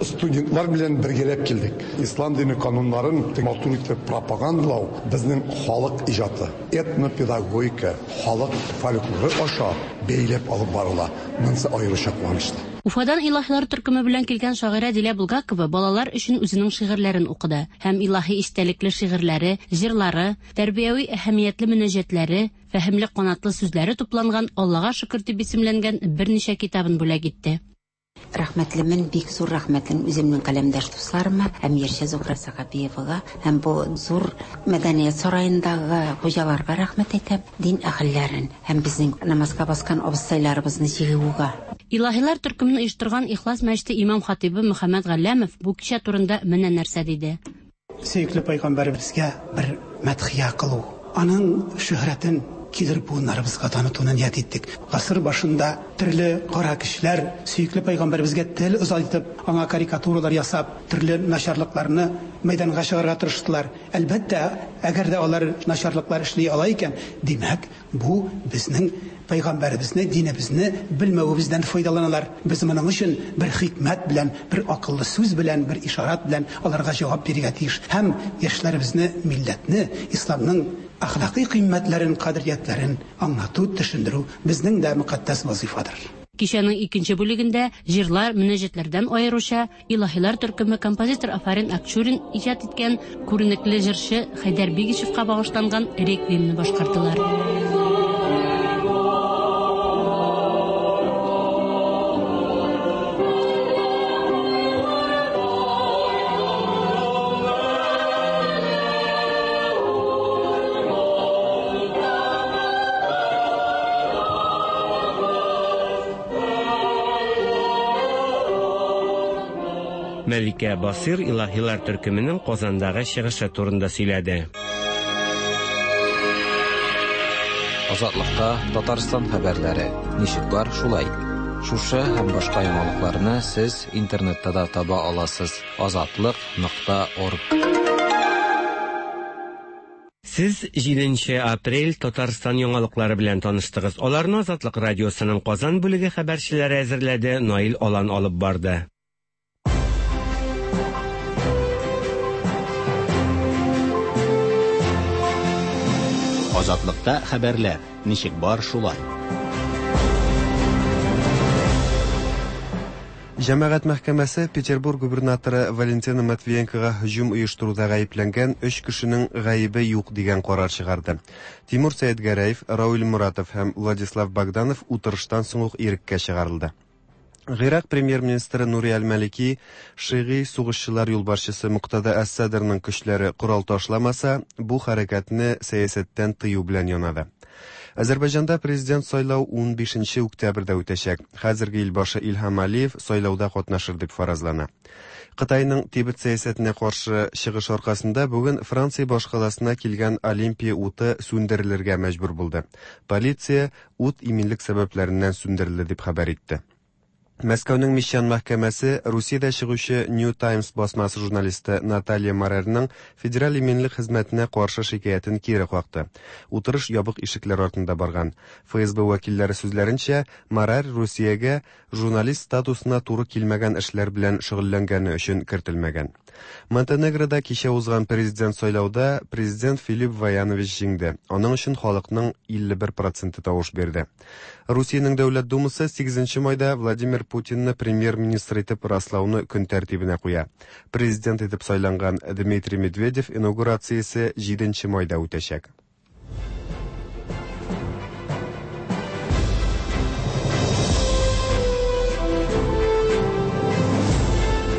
студентлар белән бергәләп килдек. Ислам дине кануннарын матур итеп пропагандалау безнең халык иҗаты, этнопедагогика, халык фольклоры аша бәйләп алып барыла. Монысы аеруча куанычлы. Уфадан Илаһилар төркеме белән килгән шагыйрә Дилә Булгакова балалар өчен үзенең шигырьләрен укыды һәм илаһи истәлекле шигырьләре, җырлары, тәрбияви әһәмиятле мөнәҗәтләре, фәһемле канатлы сүзләре тупланган Аллага шөкер дип исемләнгән берничә китабын бүләк итте. Рәхмәтлемен, бик зур рәхмәтлемен үземнең каләмдәш дусларыма һәм җырчы Зухра Сәхәбиевага һәм бу зур мәдәният сараендагы хуҗаларга рәхмәт әйтәм, дин әһелләрен һәм безнең намазга баскан абыстайларыбызны җыюга. Илаһилар төркемен оештырган Ихлас мәчете имам-хатыйбы Мөхәммәт Галләмов бу кичә турында менә нәрсә диде. Сөекле пәйгамбәребезгә бер мәдхия кылу, аның шөһрәтен килер буыннарыбызга танытуны ният иттек. Гасыр башында төрле кара көчләр сөекле пәйгамбәребезгә тел озайтып, аңа карикатуралар ясап, төрле начарлыкларны мәйданга чыгарырга тырыштылар. Әлбәттә, әгәр дә алар начарлыклар эшли ала икән, димәк, бу безнең пәйгамбәребезне, динебезне белмәвебездән файдаланалар. Без моның өчен бер хикмәт белән, бер акыллы сүз белән, бер ишарат белән аларга җавап бирергә тиеш. Һәм яшьләребезне, милләтне, исламның әхлакый кыйммәтләрен, кадериятләрен аңлату, төшендерү безнең дә мөкатдәс вазыйфадыр. Кичәнең икенче бүлегендә җырлар, мөнәҗәтләрдән аеруча Илаһилар төркеме композитор Афарин Акчурин иҗат иткән күренекле җырчы Хәйдәр Бигичевка багышланган реквиемны башкардылар. Мәликә Басыйр Илаһилар төркеменең Казандагы чыгышы турында сөйләде. Азатлыкта Татарстан хәбәрләре. Ничек бар, шулай. Шушы һәм башка яңалыкларны сез интернетта да таба аласыз. Азатлык нокта орг. Сез җиденче апрель Татарстан яңалыклары белән таныштыгыз. Аларны Азатлык радиосының Казан бүлеге хәбәрчеләре әзерләде, Наил Алан алып барды. Азатлыкта хәбәрләр, ничек бар шулай. Җәмәгать мәхкәмәсе Петербург губернаторы Валентина Матвиенкога һөҗүм оештыруда гаепләнгән өч кешенең гаебе юк дигән карар чыгарды. Тимур Сәетгәрәев, Рауил Моратов һәм Владислав Богданов утырыштан соң ук иреккә чыгарылды. Гыйрак премьер-министры Нури әл-Малики шигый сугышчылар юлбашчысы Муктада әс-Садрның көчләре корал ташламаса, бу хәрәкәтне сәясәттән тыю белән янады. Азәрбайҗанда президент сайлау 15 октябрьдә үтәчәк. Хәзерге илбашы Илһам Алиев сайлауда катнашыр дип фаразлана. Кытайның Тибет сәясәтенә каршы чыгыш аркасында бүген Франция башкаласына килгән Олимпия уты сүндерелергә мәҗбүр булды. Полиция ут иминлек сәбәпләреннән сүндерелде дип хәбәр итте. Мәскәүнең Мещан мәхкәмәсе Русиядә чыгучы New Times басмасы журналисты Наталья Марерның Федераль иминлек хезмәтенә каршы шикаятен кире какты. Утырыш ябык ишекләр артында барган. ФСБ вәкилләре сүзләренчә, Марер Русиягә журналист статусына туры килмәгән эшләр белән шөгыльләнгәне өчен кертелмәгән. Монтенегрода кичә узган президент сайлауда президент Филипп Ваянович җиңде. Аның өчен халыкның 51 проценты тавыш бирде. Русиянең Дәүләт Думасы 8 майда Владимир Путинны премьер-министр итеп раслауны көн тәртибенә куя. Президент итеп сайланган Дмитрий Медведев инаугурациясе 7 майда үтәчәк.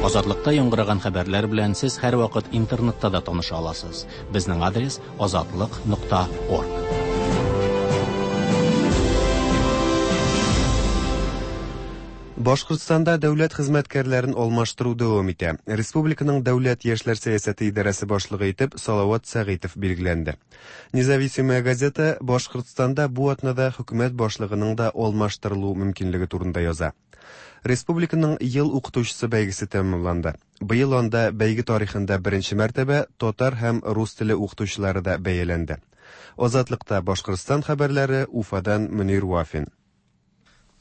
Азатлыкта яңгыраган хәбәрләр белән сез һәрвакыт интернетта да таныша аласыз. Безнең адрес азатлык.орг. Башкортстанда дәүләт хезмәткәрләрен алмаштыру дәвам итә. Республиканың дәүләт яшьләр сәясәте идарәсе башлыгы итеп Салават Сәгыйтов билгеләнде. Независимая газета Башкортстанда бу атнада хөкүмәт башлыгының да алмаштырылу мөмкинлеге турында яза. Республиканың ел укытучысы бәйгесе тәмамланды. Быел анда бәйге тарихында беренче мәртәбә татар һәм рус теле укытучылары да бәяләнде. Азатлыкта Башкортстан хәбәрләре Уфадан Мөнир Вафин.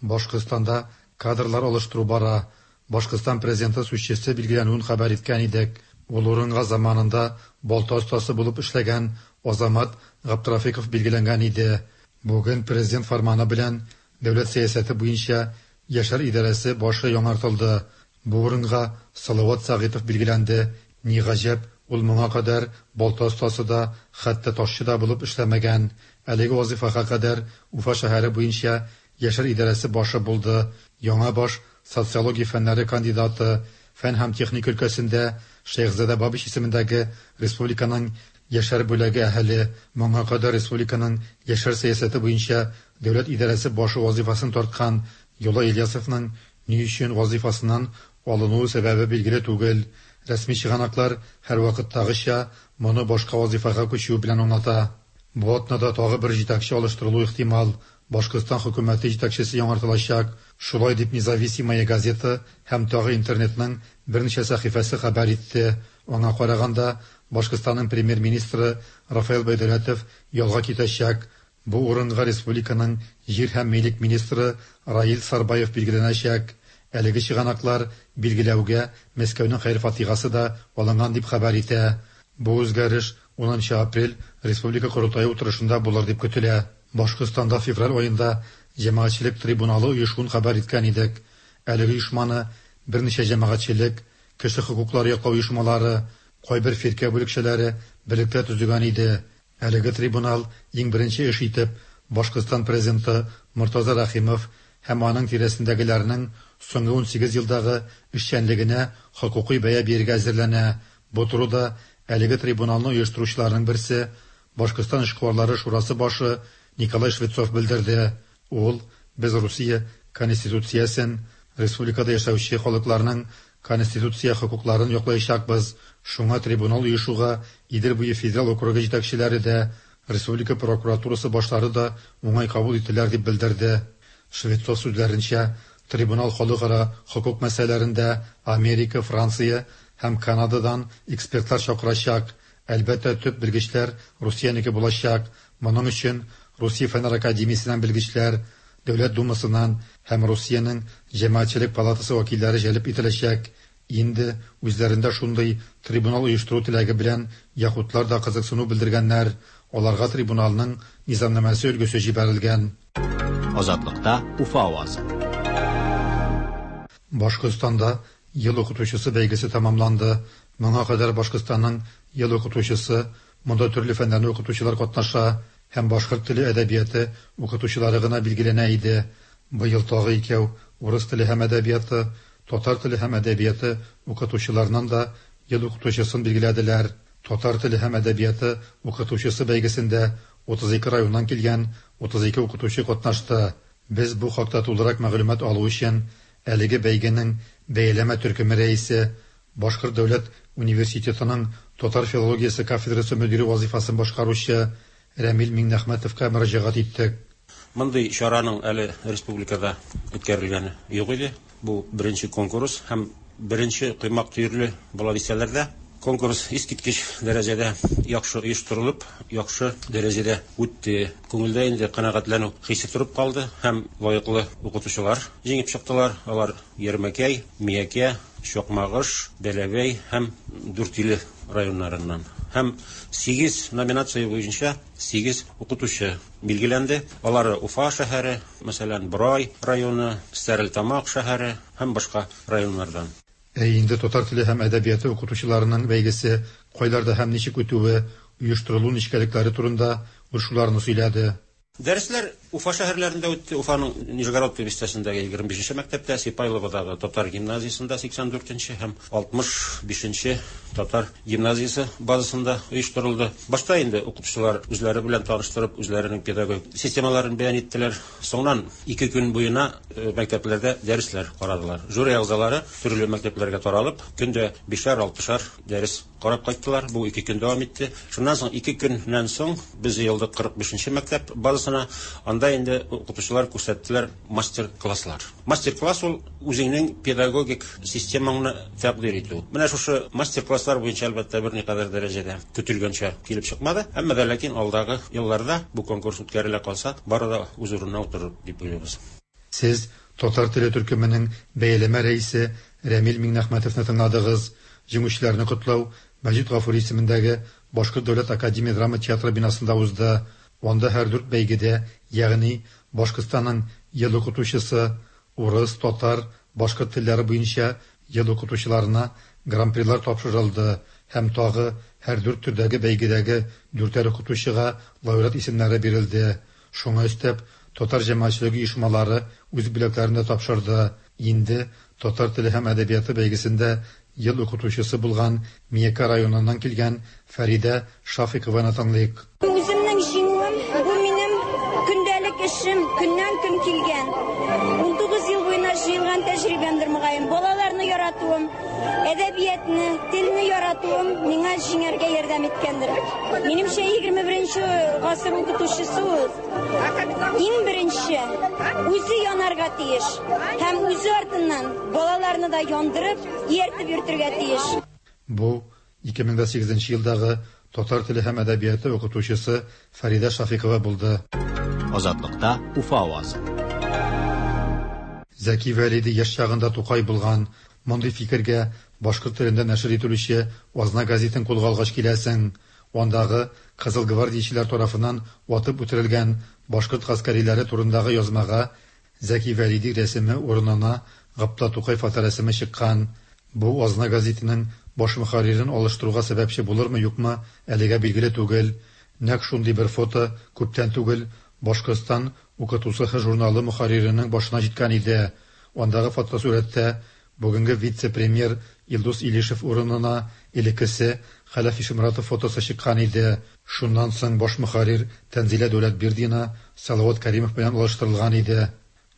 Башкортстанда кадрлар алыштыру бара. Башкортстан президенты сүзчесе билгеләнүен хәбәр иткән идек. Ул урынга заманында балта остасы булып эшләгән Азамат Габдрафиков билгеләнгән иде. Бүген президент фарманы белән дәүләт сәясәте буенча яшьләр идарәсе башы яңартылды. Бу урынга Салават Сәгыйтов билгеләнде. Ни гаҗәп, ул моңа кадәр балта остасы да, хәтта ташчы да булып эшләмәгән. Әлеге вазифага кадәр Уфа шәһәре буенча яшьләр идарәсе башы булды. Яңа баш социология фәннәре кандидаты, фән һәм техника өлкәсендә Шәехзадә Бабич исемендәге республиканың Яшьләр бүләге әһеле, моңа кадәр республиканың яшьләр сәясәте буенча дәүләт идарәсе башы вазыйфасын тарткан Юлай Ильясовның ни өчен вазыйфасыннан алынуы сәбәбе билгеле түгел. Рәсми чыганаклар, һәрвакыттагыча, моны башка вазыйфага күчүе белән аңлата. Бу атнада тагы бер җитәкче алыштырылуы ихтимал, Башкортстан хөкүмәте җитәкчесе яңартылачак. Шулай дип Независимая газета һәм тагы интернетның берничә сәхифәсе хәбәр итте. Аңа караганда, Башкортстанның премьер-министры Рафаэл Байдәүләтов ялга китәчәк. Бу урынга республиканың җир һәм милек министры Раил Сарбаев билгеләнәчәк. Әлеге чыганаклар билгеләүгә Мәскәүнең хәер-фатихасы да алынган дип хәбәр итә. Бу үзгәреш унынчы апрель республика корылтае утырышында булыр дип көтелә. Башкортстанда февраль аенда җәмәгатьчелек трибуналы оешуын хәбәр иткән идек. Әлеге оешманы берничә җәмәгатьчелек, кеше хокуклары яклау оешмалары, кайбер фиркә бүлекчәләре берлектә төзегән иде. Әлеге трибунал иң беренче эш итеп Башкортстан президенты Мортаза Рәхимов һәм аның тирәсендәгеләрнең соңгы 18 елдагы эшчәнлегенә хокукый бәя бирергә әзерләнә. Бу турыда әлеге трибуналны оештыручыларның берсе, Башкортстан эшкуарлары шурасы башы Николай Швецов белдерде. Ул, Без Русия Конституциясен, республикада яшәүче халыкларның конституция хокукларын яклаячакбыз, шуңа трибунал оешуга Идел буе федераль округы җитәкчеләре дә, республика прокуратурасы башлары да уңай кабул иттеләр, дип белдерде. Швецов сүзләренчә, трибунал халыкара хокук мәсьәләләрендә Америка, Франция һәм Канададан экспертлар чакырачак. Әлбәттә, төп белгечләр Русиянеке булачак. Моның өчен Русия Фәннәр академиясеннән белгечләр, Дәүләт Думасыннан һәм Русиянең Җәмәгатьчелек палатасы вәкилләре җәлеп ителәчәк. Инде үзләрендә шундый трибунал оештыру теләге белән яһүдлар да кызыксыну белдергәннәр, аларга трибуналның низамнамәсе өлгесе җибәрелгән. Азатлыкта Уфа авазы. Башкортстанда Ел укытучысы бәйгесе тәмамланды. Моңа кадәр Башкортстанның Ел укытучысы, монда төрле фәннәрне укытучылар катнаша, һәм башкорт теле әдәбияты укытучылары гына билгеләнә иде. Быел тагы икәү, урыс теле һәм әдәбияты, татар теле һәм әдәбияты укытучыларыннан да Ел укытучысын билгеләделәр. Татар теле һәм әдәбияты укытучысы бәйгесендә 32 районнан килгән 32 укытучы катнашты. Без бу хакта тулырак мәгълүмат алу өчен әлеге бәйгенең бәяләмә төркеме рәисе, Башкорт дәүләт университетының татар филологиясе кафедрасы мөдире вазыйфасын башкаручы Рәмил Миңнәхмәтовка мөрәҗәгать иттек. Мондый чараның әле республикада үткәрелгәне юк иде. Бу беренче конкурс һәм беренче коймак төерле була дисәләр дә, конкурс искиткеч дәрәҗәдә яхшы оештырылып, яхшы дәрәҗәдә үтте. Күңелдә инде канәгатьләнү хисе торып калды һәм лаеклы укытучылар җиңеп чыктылар. Алар Ярмәкәй, Миякә, Чакмагыш, Бәләбәй һәм Дүртөйле районнарыннан. Һәм сигез номинация буенча сигез укытучы билгеләнде. Алары Уфа шәһәре, мәсәлән, Борай районы, Стәрлетамак шәһәре һәм башка районнардан. Ә инде татар теле һәм әдәбияты укытучыларының бәйгесе кайларда һәм ничек үтүе, оештырылу нечкәлекләре турында ул шуларны сөйләде. Дәресләр Уфа шәһәрләрендә үтте. Уфаның Нижегородка бистәсендәге 25 нче мәктәптә, Сипайловодагы татар гимназиясендә 84 нче һәм 65 нче татар гимназиясе базасында оештырылды. Башта инде укытучылар үзләре белән таныштырып, үзләренең педагогик системаларын бәян иттеләр. Соңыннан ике көн буена мәктәпләрдә дәресләр карадылар. Жюри әгъзалары төрле мәктәпләргә таралып, көн дә бишәр-алтышар дәрес Карап кайттылар, бу ике көн дәвам итте. Шуннан соң ике көннән соң без җыелдык 45 нче мәктәп базасына. Анда инде укытучылар күрсәттеләр мастер-класслар. Мастер-класс ул үзеңнең педагогик системаңны тәкъдир итү. Менә шушы мастер-класслар буенча, әлбәттә, берникадәр дәрәҗәдә көтелгәнчә килеп чыкмады. Әмма дә ләкин алдагы елларда бу конкурс үткәрелә калса, бары да үз урынына утырыр дип уйлыйбыз. Сез татар теле төркеменең бәяләмә рәисе Рәмил Миңнәхмәтовны тыңладыгыз. Җиңүчеләрне котлау Мәҗит Гафури исемендәге Башкорт дәүләт академия драма театры бинасында узды. Анда һәр дүрт бәйгедә, ягъни Башкортстанның Ел укытучысы, урыс, татар, башкорт телләре буенча ел укытучыларына гран-прилар тапшырылды һәм тагы һәр дүрт төрдәге бәйгедәге дүртәр укытучыга лауреат исемнәре бирелде. Шуңа өстәп, татар җәмәгатьчелеге оешмалары үз бүләкләрен дә тапшырды. Инде татар теле һәм әдәбияты бәйгесендә Ел укытучысы булган Миякә районыннан килгән Фәридә Шафикованы тыңлыйк. Үземнең җиңүем, бу минем көндәлек эшем, көннән-көн килгән. 19 ел буена җыелган тәҗрибәмдер, мөгаен. Балаларны яратуым, әдәбиятны, телне яратуым миңа җиңәргә ярдәм иткәндер. Минемчә, 21 гасыр укытучысы ул иң беренче үзе янарга тиеш һәм үзе артыннан балаларны да яндырып, ияртеп йөртергә тиеш. Бу, 2008 нче елдагы татар теле һәм әдәбияты укытучысы Фәридә Шафикова булды. Азатлыкта Уфа авазы. Зәки Вәлиди яшь чагында Тукай булган. Мондый фикергә башкорт телендә нәшер ителүче Азна гәзитен кулга алгач киләсең. Андагы кызыл гвардиячеләр тарафыннан атып үтерелгән башкорт гаскәриләре турындагы язмага Зәки Вәлиди рәсеме урынына Габдулла Тукай фоторәсеме чыккан. Бу Азна гәзитенең баш мөхәррирен алыштыруга сәбәпче булырмы-юкмы, әлегә билгеле түгел. Нәкъ шундый бер фото күптән түгел Башкортстан укытусыһы журналы мөхәрриренең башына җиткән иде. Андагы фотосурәттә бүгенге вице-премьер Илдус Илишев урынына элеккесе Хәләф Ишеморатов фотосы чыккан иде. Шуннан соң баш мөхәррир Тәнзилә Дәүләтбирдина Салават Кәримов белән алыштырылган иде.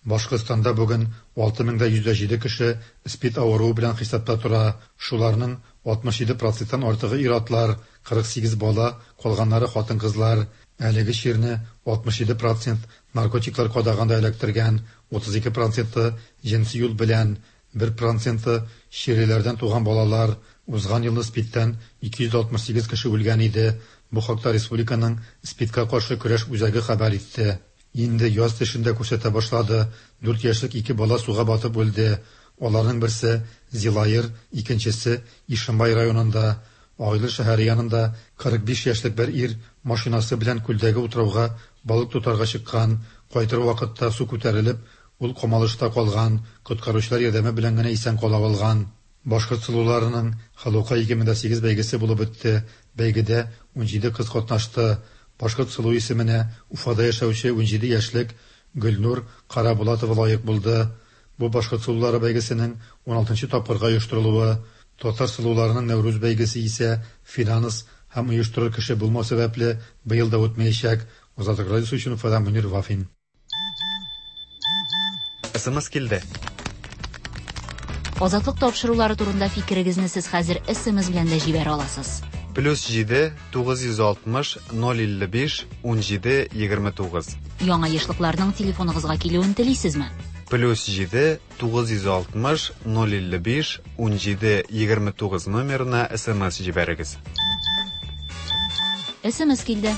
Башкортстанда бүген 6107 кеше СПИД авыруы белән хисапта тора. Шуларның 67 проценттан артыгы ир-атлар, 48 бала, калганнары хатын-кызлар. Әлеге чирне 67 процент наркотиклар кадаганда эләктергән, 32 проценты җенси юл белән, бер проценты чирлеләрдән туган балалар. Узган елны СПИДтән 268 кеше үлгән иде. Бу хакта республиканың СПИДка каршы көрәш үзәге хәбәр итте. Инде яз тешен дә күрсәтә башлады, дүрт яшьлек ике бала суга батып үлде. Аларның берсе, Зилаер, икенчесе, Ишембай районында. Агыйдел шәһәре янында 45 яшьлек бер ир машинасы белән күлдәге утрауга балык тотарга чыккан. Кайтыр вакытта су күтәрелеп, ул камалышта калган, коткаручылар ярдәме белән генә исән кала алган. Башкорт сылуларының Халука 2008 бәйгесе булып үтте. Бәйгедә 17 кыз катнашты. Башкорт сылу исеменә Уфада яшәүче 17 яшьлек Гөлнур Карабулатова лаек булды. Бу Башкорт сылулары бәйгесенең уналтынчы тапкырга оештырылуы. Татар сылуларының Нәүрүз бәйгесе исә финанс һәм оештырыр кеше булмау сәбәпле быел да үтмәячәк. Азатлык радиосы өчен Уфадан Мөнир Вафин. Смс килде. Азатлык тапшырулары турында фикерегезне сез хәзер смс белән дә җибәрә аласыз. Плюс 7 960 055 17 29. Яңа ешлыкларның телефоныгызга килүен телисезме? Плюс 7 960 055 17 29 номерына смс җибәрегез. Смс килде.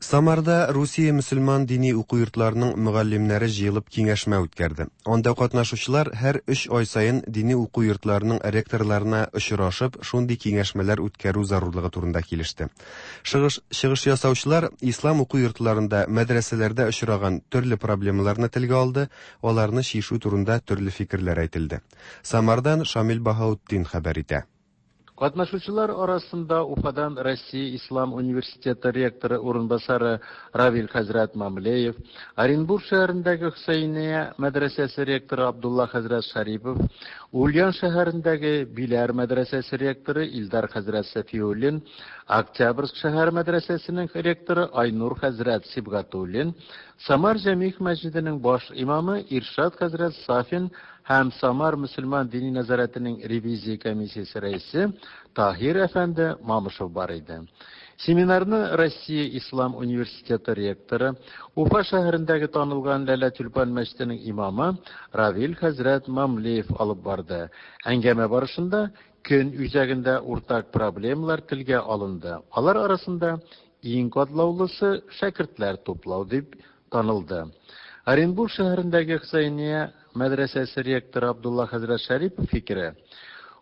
Самарда Русия мөселман дини уку йортларының мөгаллимнәре җыелып киңәшмә үткәрде. Анда катнашучылар һәр өч ай саен дини уку йортларының ректорларына очрашып, шундый киңәшмәләр үткәрү зарурлыгы турында килеште. Чыгыш, чыгыш ясаучылар ислам уку йортларында, мәдрәсәләрдә очраган төрле проблемаларны телгә алды, аларны чишү турында төрле фикерләр әйтелде. Самардан Шамил Баһаутдин хәбәр итә. Катнашучылар арасында Уфадан Россия Ислам университеты ректоры урынбасары Равил хәзрәт Мамлеев, Оренбург шәһәрендәге Хөсәения мәдрәсәсе ректоры Абдулла хәзрәт Шарипов, Ульян шәһәрендәге Биләр мәдрәсәсе ректоры Илдар хәзрәт Сәфиуллин, Октябрьск шәһәр мәдрәсәсенең ректоры Айнур хәзрәт Сибгатуллин, Самар Җәмигъ мәсҗиденең баш имамы Иршат хәзрәт Сафин һәм Самар мөселман дини нәзарәтенең ревизия комиссиясе рәисе Таһир әфәнде Мамышев бар иде. Семинарны Россия Ислам университеты ректоры, Уфа шәһәрендәге танылган Ләлә Тюльпан мәчетенең имамы Равил хәзрәт Мамлеев алып барды. Әңгәмә барышында көн үзәгендә уртак проблемалар телгә алынды. Алар арасында иң катлаулысы шәкертләр туплау дип танылды. Оренбург шәһәрендәге Хөсәения мәдрәсәсе ректоры Абдулла хәзрәт Шәрипов фикере,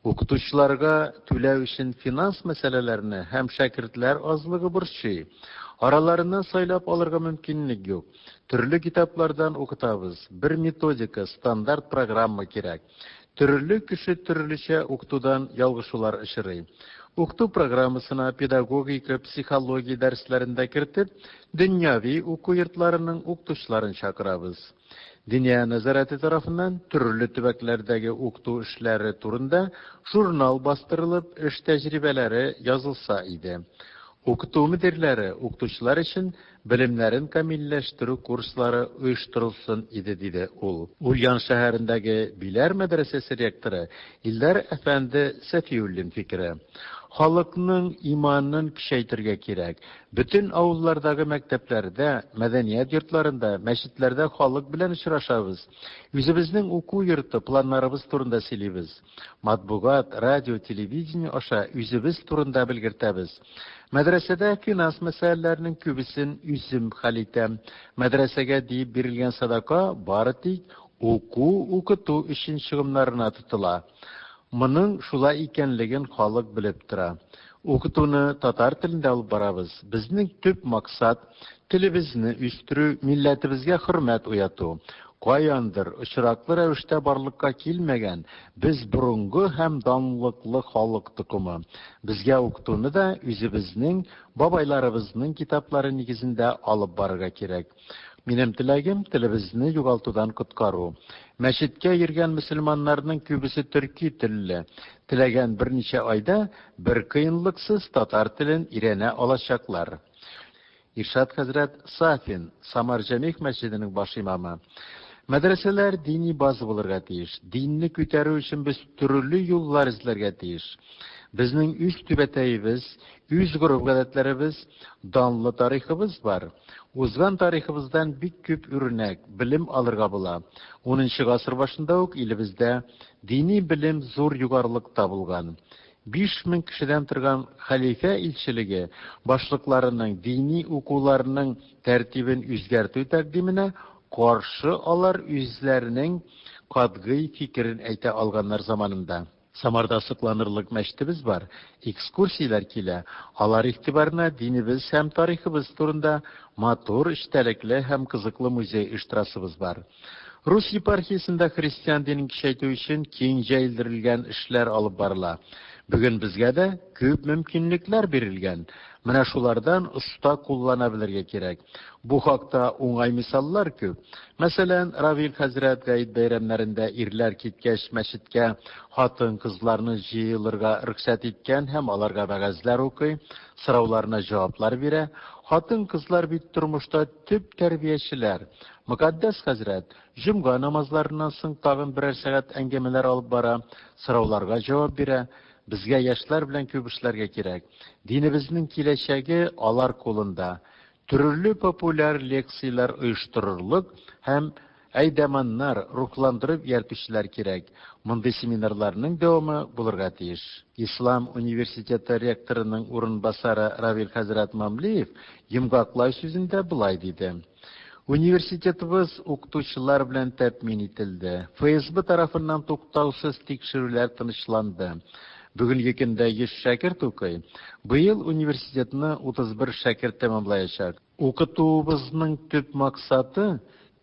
укытучыларга түләү өчен финанс мәсьәләләрне һәм шәкертләр азлыгы борчый. Араларыннан сайлап алырга мөмкинлек юк. Төрле китаплардан укытабыз. Бер методика, стандарт программа кирәк. Төрле кеше төрлечә укытудан ялгышулар очрый. Укыту программасына педагогика, психология дәресләрен дә кертеп, дөньяви уку йортларының укытучыларын чакырабыз. Диния нәзарәте тарафыннан төрле төбәкләрдәге укыту эшләре турында журнал бастырылып, эш тәҗрибәләре язылса иде. Укыту мөдирләре, укытучылар өчен белемнәрен камилләштерү курслары оештырылсын иде, диде ул. Ульян шәһәрендәге Биләр мәдрәсәсе ректоры Илдар әфәнде Сәфиуллин фикере. Халыкның иманын көчәйтергә кирәк. Бөтен авыллардагы мәктәпләрдә, мәдәният йортларында, мәчетләрдә халык белән очрашабыз. Үзебезнең уку йорты планнарыбыз турында сөйлибез. Матбугат, радио, телевидение аша үзебез турында белгертәбез. Мәдрәсәдә финанс мәсьәләләренең күбесен үзем хәл итәм. Мәдрәсәгә диеп бирелгән садака бары тик уку-укыту өчен чыгымнарына тотыла. Моның шулай икәнлеген халык белеп тора. Укытуны татар телендә алып барабыз. Безнең төп максат, телебезне үстерү, милләтебезгә хөрмәт уяту. Каяндыр, очраклы рәвештә барлыкка килмәгән, без борынгы һәм данлыклы халык токымы. Безгә укытуны да үзебезнең бабайларыбызның китаплары нигезендә алып барырга кирәк. Минем теләгем, телебезне югалтудан коткару. Мәчеткә йөргән мөселманнарның күбесе төрки телле. Теләгән берничә айда бер кыенлыксыз татар телен өйрәнә алачаклар. Иршат хәзрәт Сафин, Самар Җәмигъ мәчетенең баш имамы. Мәдрәсәләр дини база булырга тиеш. Динне күтәрү өчен без төрле юллар эзләргә тиеш. Безнең үз түбәтәебез, үз гореф-гадәтләребез, данлы тарихыбыз бар. Узган тарихыбыздан бик күп үрнәк, белем алырга була. Унынчы гасыр башында ук илебездә дини белем зур югарылыкта булган. 5000 кешедән торган хәлифә илчелеге башлыкларының дини укуларның тәртибен үзгәртү тәкъдименә каршы алар үзләренең катгый фикерен әйтә алганнар заманында. Самарда сокланырлык мәчетебез бар, экскурсияләр килә, алар игътибарына динебез һәм тарихыбыз турында матур, эчтәлекле һәм кызыклы музей оештырасыбыз бар. Рус епархиясендә христиан динен көчәйтү өчен киң җәелдерелгән эшләр алып барыла. Бүген безгә дә күп мөмкинлекләр бирелгән. Менә шулардан оста куллана белергә кирәк. Бу хакта уңай мисаллар күп. Мәсәлән, Равил хәзрәт гает бәйрәмнәрендә ирләр киткәч мәчеткә хатын-кызларны җыелырга рөхсәт иткән һәм аларга вәгазьләр укый, сорауларына җаваплар бирә. Хатын-кызлар бит тормышта төп тәрбиячеләр. Мөкатдәс хәзрәт җомга намазларыннан соң тагын берәр сәгать әңгәмәләр алып бара, сорауларга җавап бирә. Безгә яшьләр белән күп эшләргә кирәк. Динебезнең киләчәге алар кулында. Төрле популяр лекцияләр оештырырлык һәм әйдаманнар, рухландырып ияртүчеләр кирәк. Мондый семинарларның дәвамы булырга тиеш. Ислам университеты ректорының урынбасары Равил хәзрәт Мамлеев йомгаклау сүзендә болай диде. Университетыбыз укытучылар белән тәэмин ителде. ФСБ тарафыннан туктаусыз тикшерүләр тынычланды. Бүгенге көндә 100 шәкерт укый. Быел университетны 31 шәкерт тәмамлаячак. Укытуыбызның төп максаты,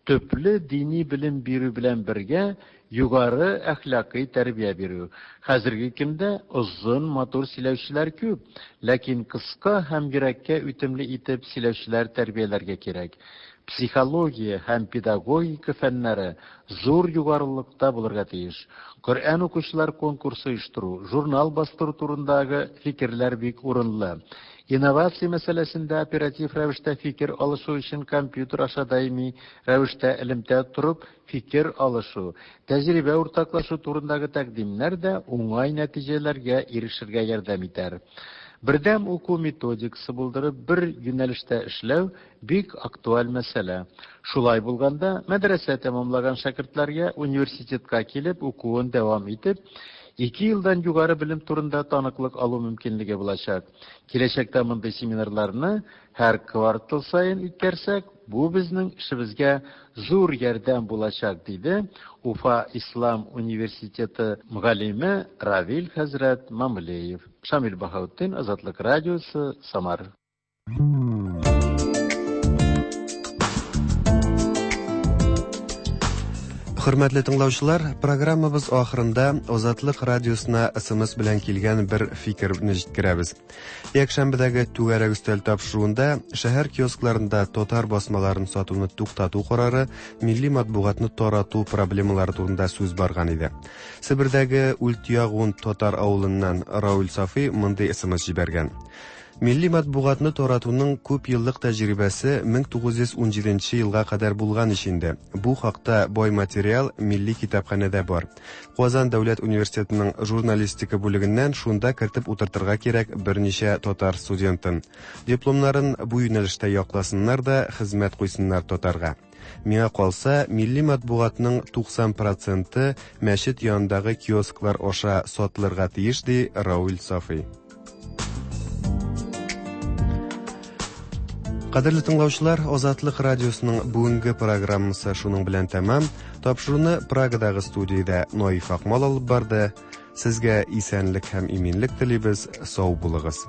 төпле дини белем бирү белән бергә югары әхлакый тәрбия бирү. Хәзерге көндә озын, матур сөйләүчеләр күп, ләкин кыска һәм йөрәккә үтемле итеп сөйләүчеләр тәрбияләргә кирәк. Психология һәм педагогика фәннәре зур югарылыкта булырга тиеш. Коръән укучылар конкурсы оештыру, журнал бастыру турындагы фикерләр бик урынлы. Инновация мәсьәләсендә оператив рәвештә фикер алышу өчен компьютер аша даими рәвештә элемтә торып фикер алышу, тәҗрибә уртаклашу турындагы тәкъдимнәр дә уңай нәтиҗәләргә ирешергә ярдәм итәр. Бердәм уку методикасы булдырып, бер юнәлештә эшләү бик актуаль мәсьәлә. Шулай булганда, мәдрәсә тәмамлаган шәкертләргә университетка килеп укуын дәвам итеп, ике елдан югары белем турында таныклык алу мөмкинлеге булачак. Киләчәктә мондый семинарларны һәр квартал саен үткәрсәк, бу безнең эшебезгә зур ярдәм булачак, диде Уфа ислам университеты мөгаллиме Равил хәзрәт Мамлеев. Шамил Баһаутдин, Азатлык радиосы, Самар. Хөрмәтле тыңлаучылар, программабыз ахырында Азатлык радиосына СМС белән килгән бер фикерне җиткерәбез. Якшәмбедәге түгәрәк өстәл тапшыруында шәһәр киоскларында татар басмаларын сатуны туктату карары, милли матбугатны тарату проблемалары турында сүз барган иде. Себердәге Ультягун татар авылыннан Рауль Сафи мондый СМС җибәргән. Милли матбугатны таратуның күп еллык тәҗрибәсе 1917 елга кадәр булган ич инде. Бу хакта бай материал Милли китапханәдә бар. Казан дәүләт университетының журналистика бүлегеннән шунда кертеп утыртырга кирәк берничә татар студентын. Дипломнарын бу юнәлештә якласыннар да, хезмәт куйсыннар татарга. Миңа калса, милли матбугатның 90 проценты мәчет янындагы киосклар аша сатылырга тиеш, ди Рауль Сафый. Кадерле тыңлаучылар, Азатлык радиосының бүгенге программасы шуның белән тәмам. Тапшыруны Прагадагы студиядә Наиф Акмал алып барды. Сезгә исәнлек һәм иминлек телибез. Сау булыгыз.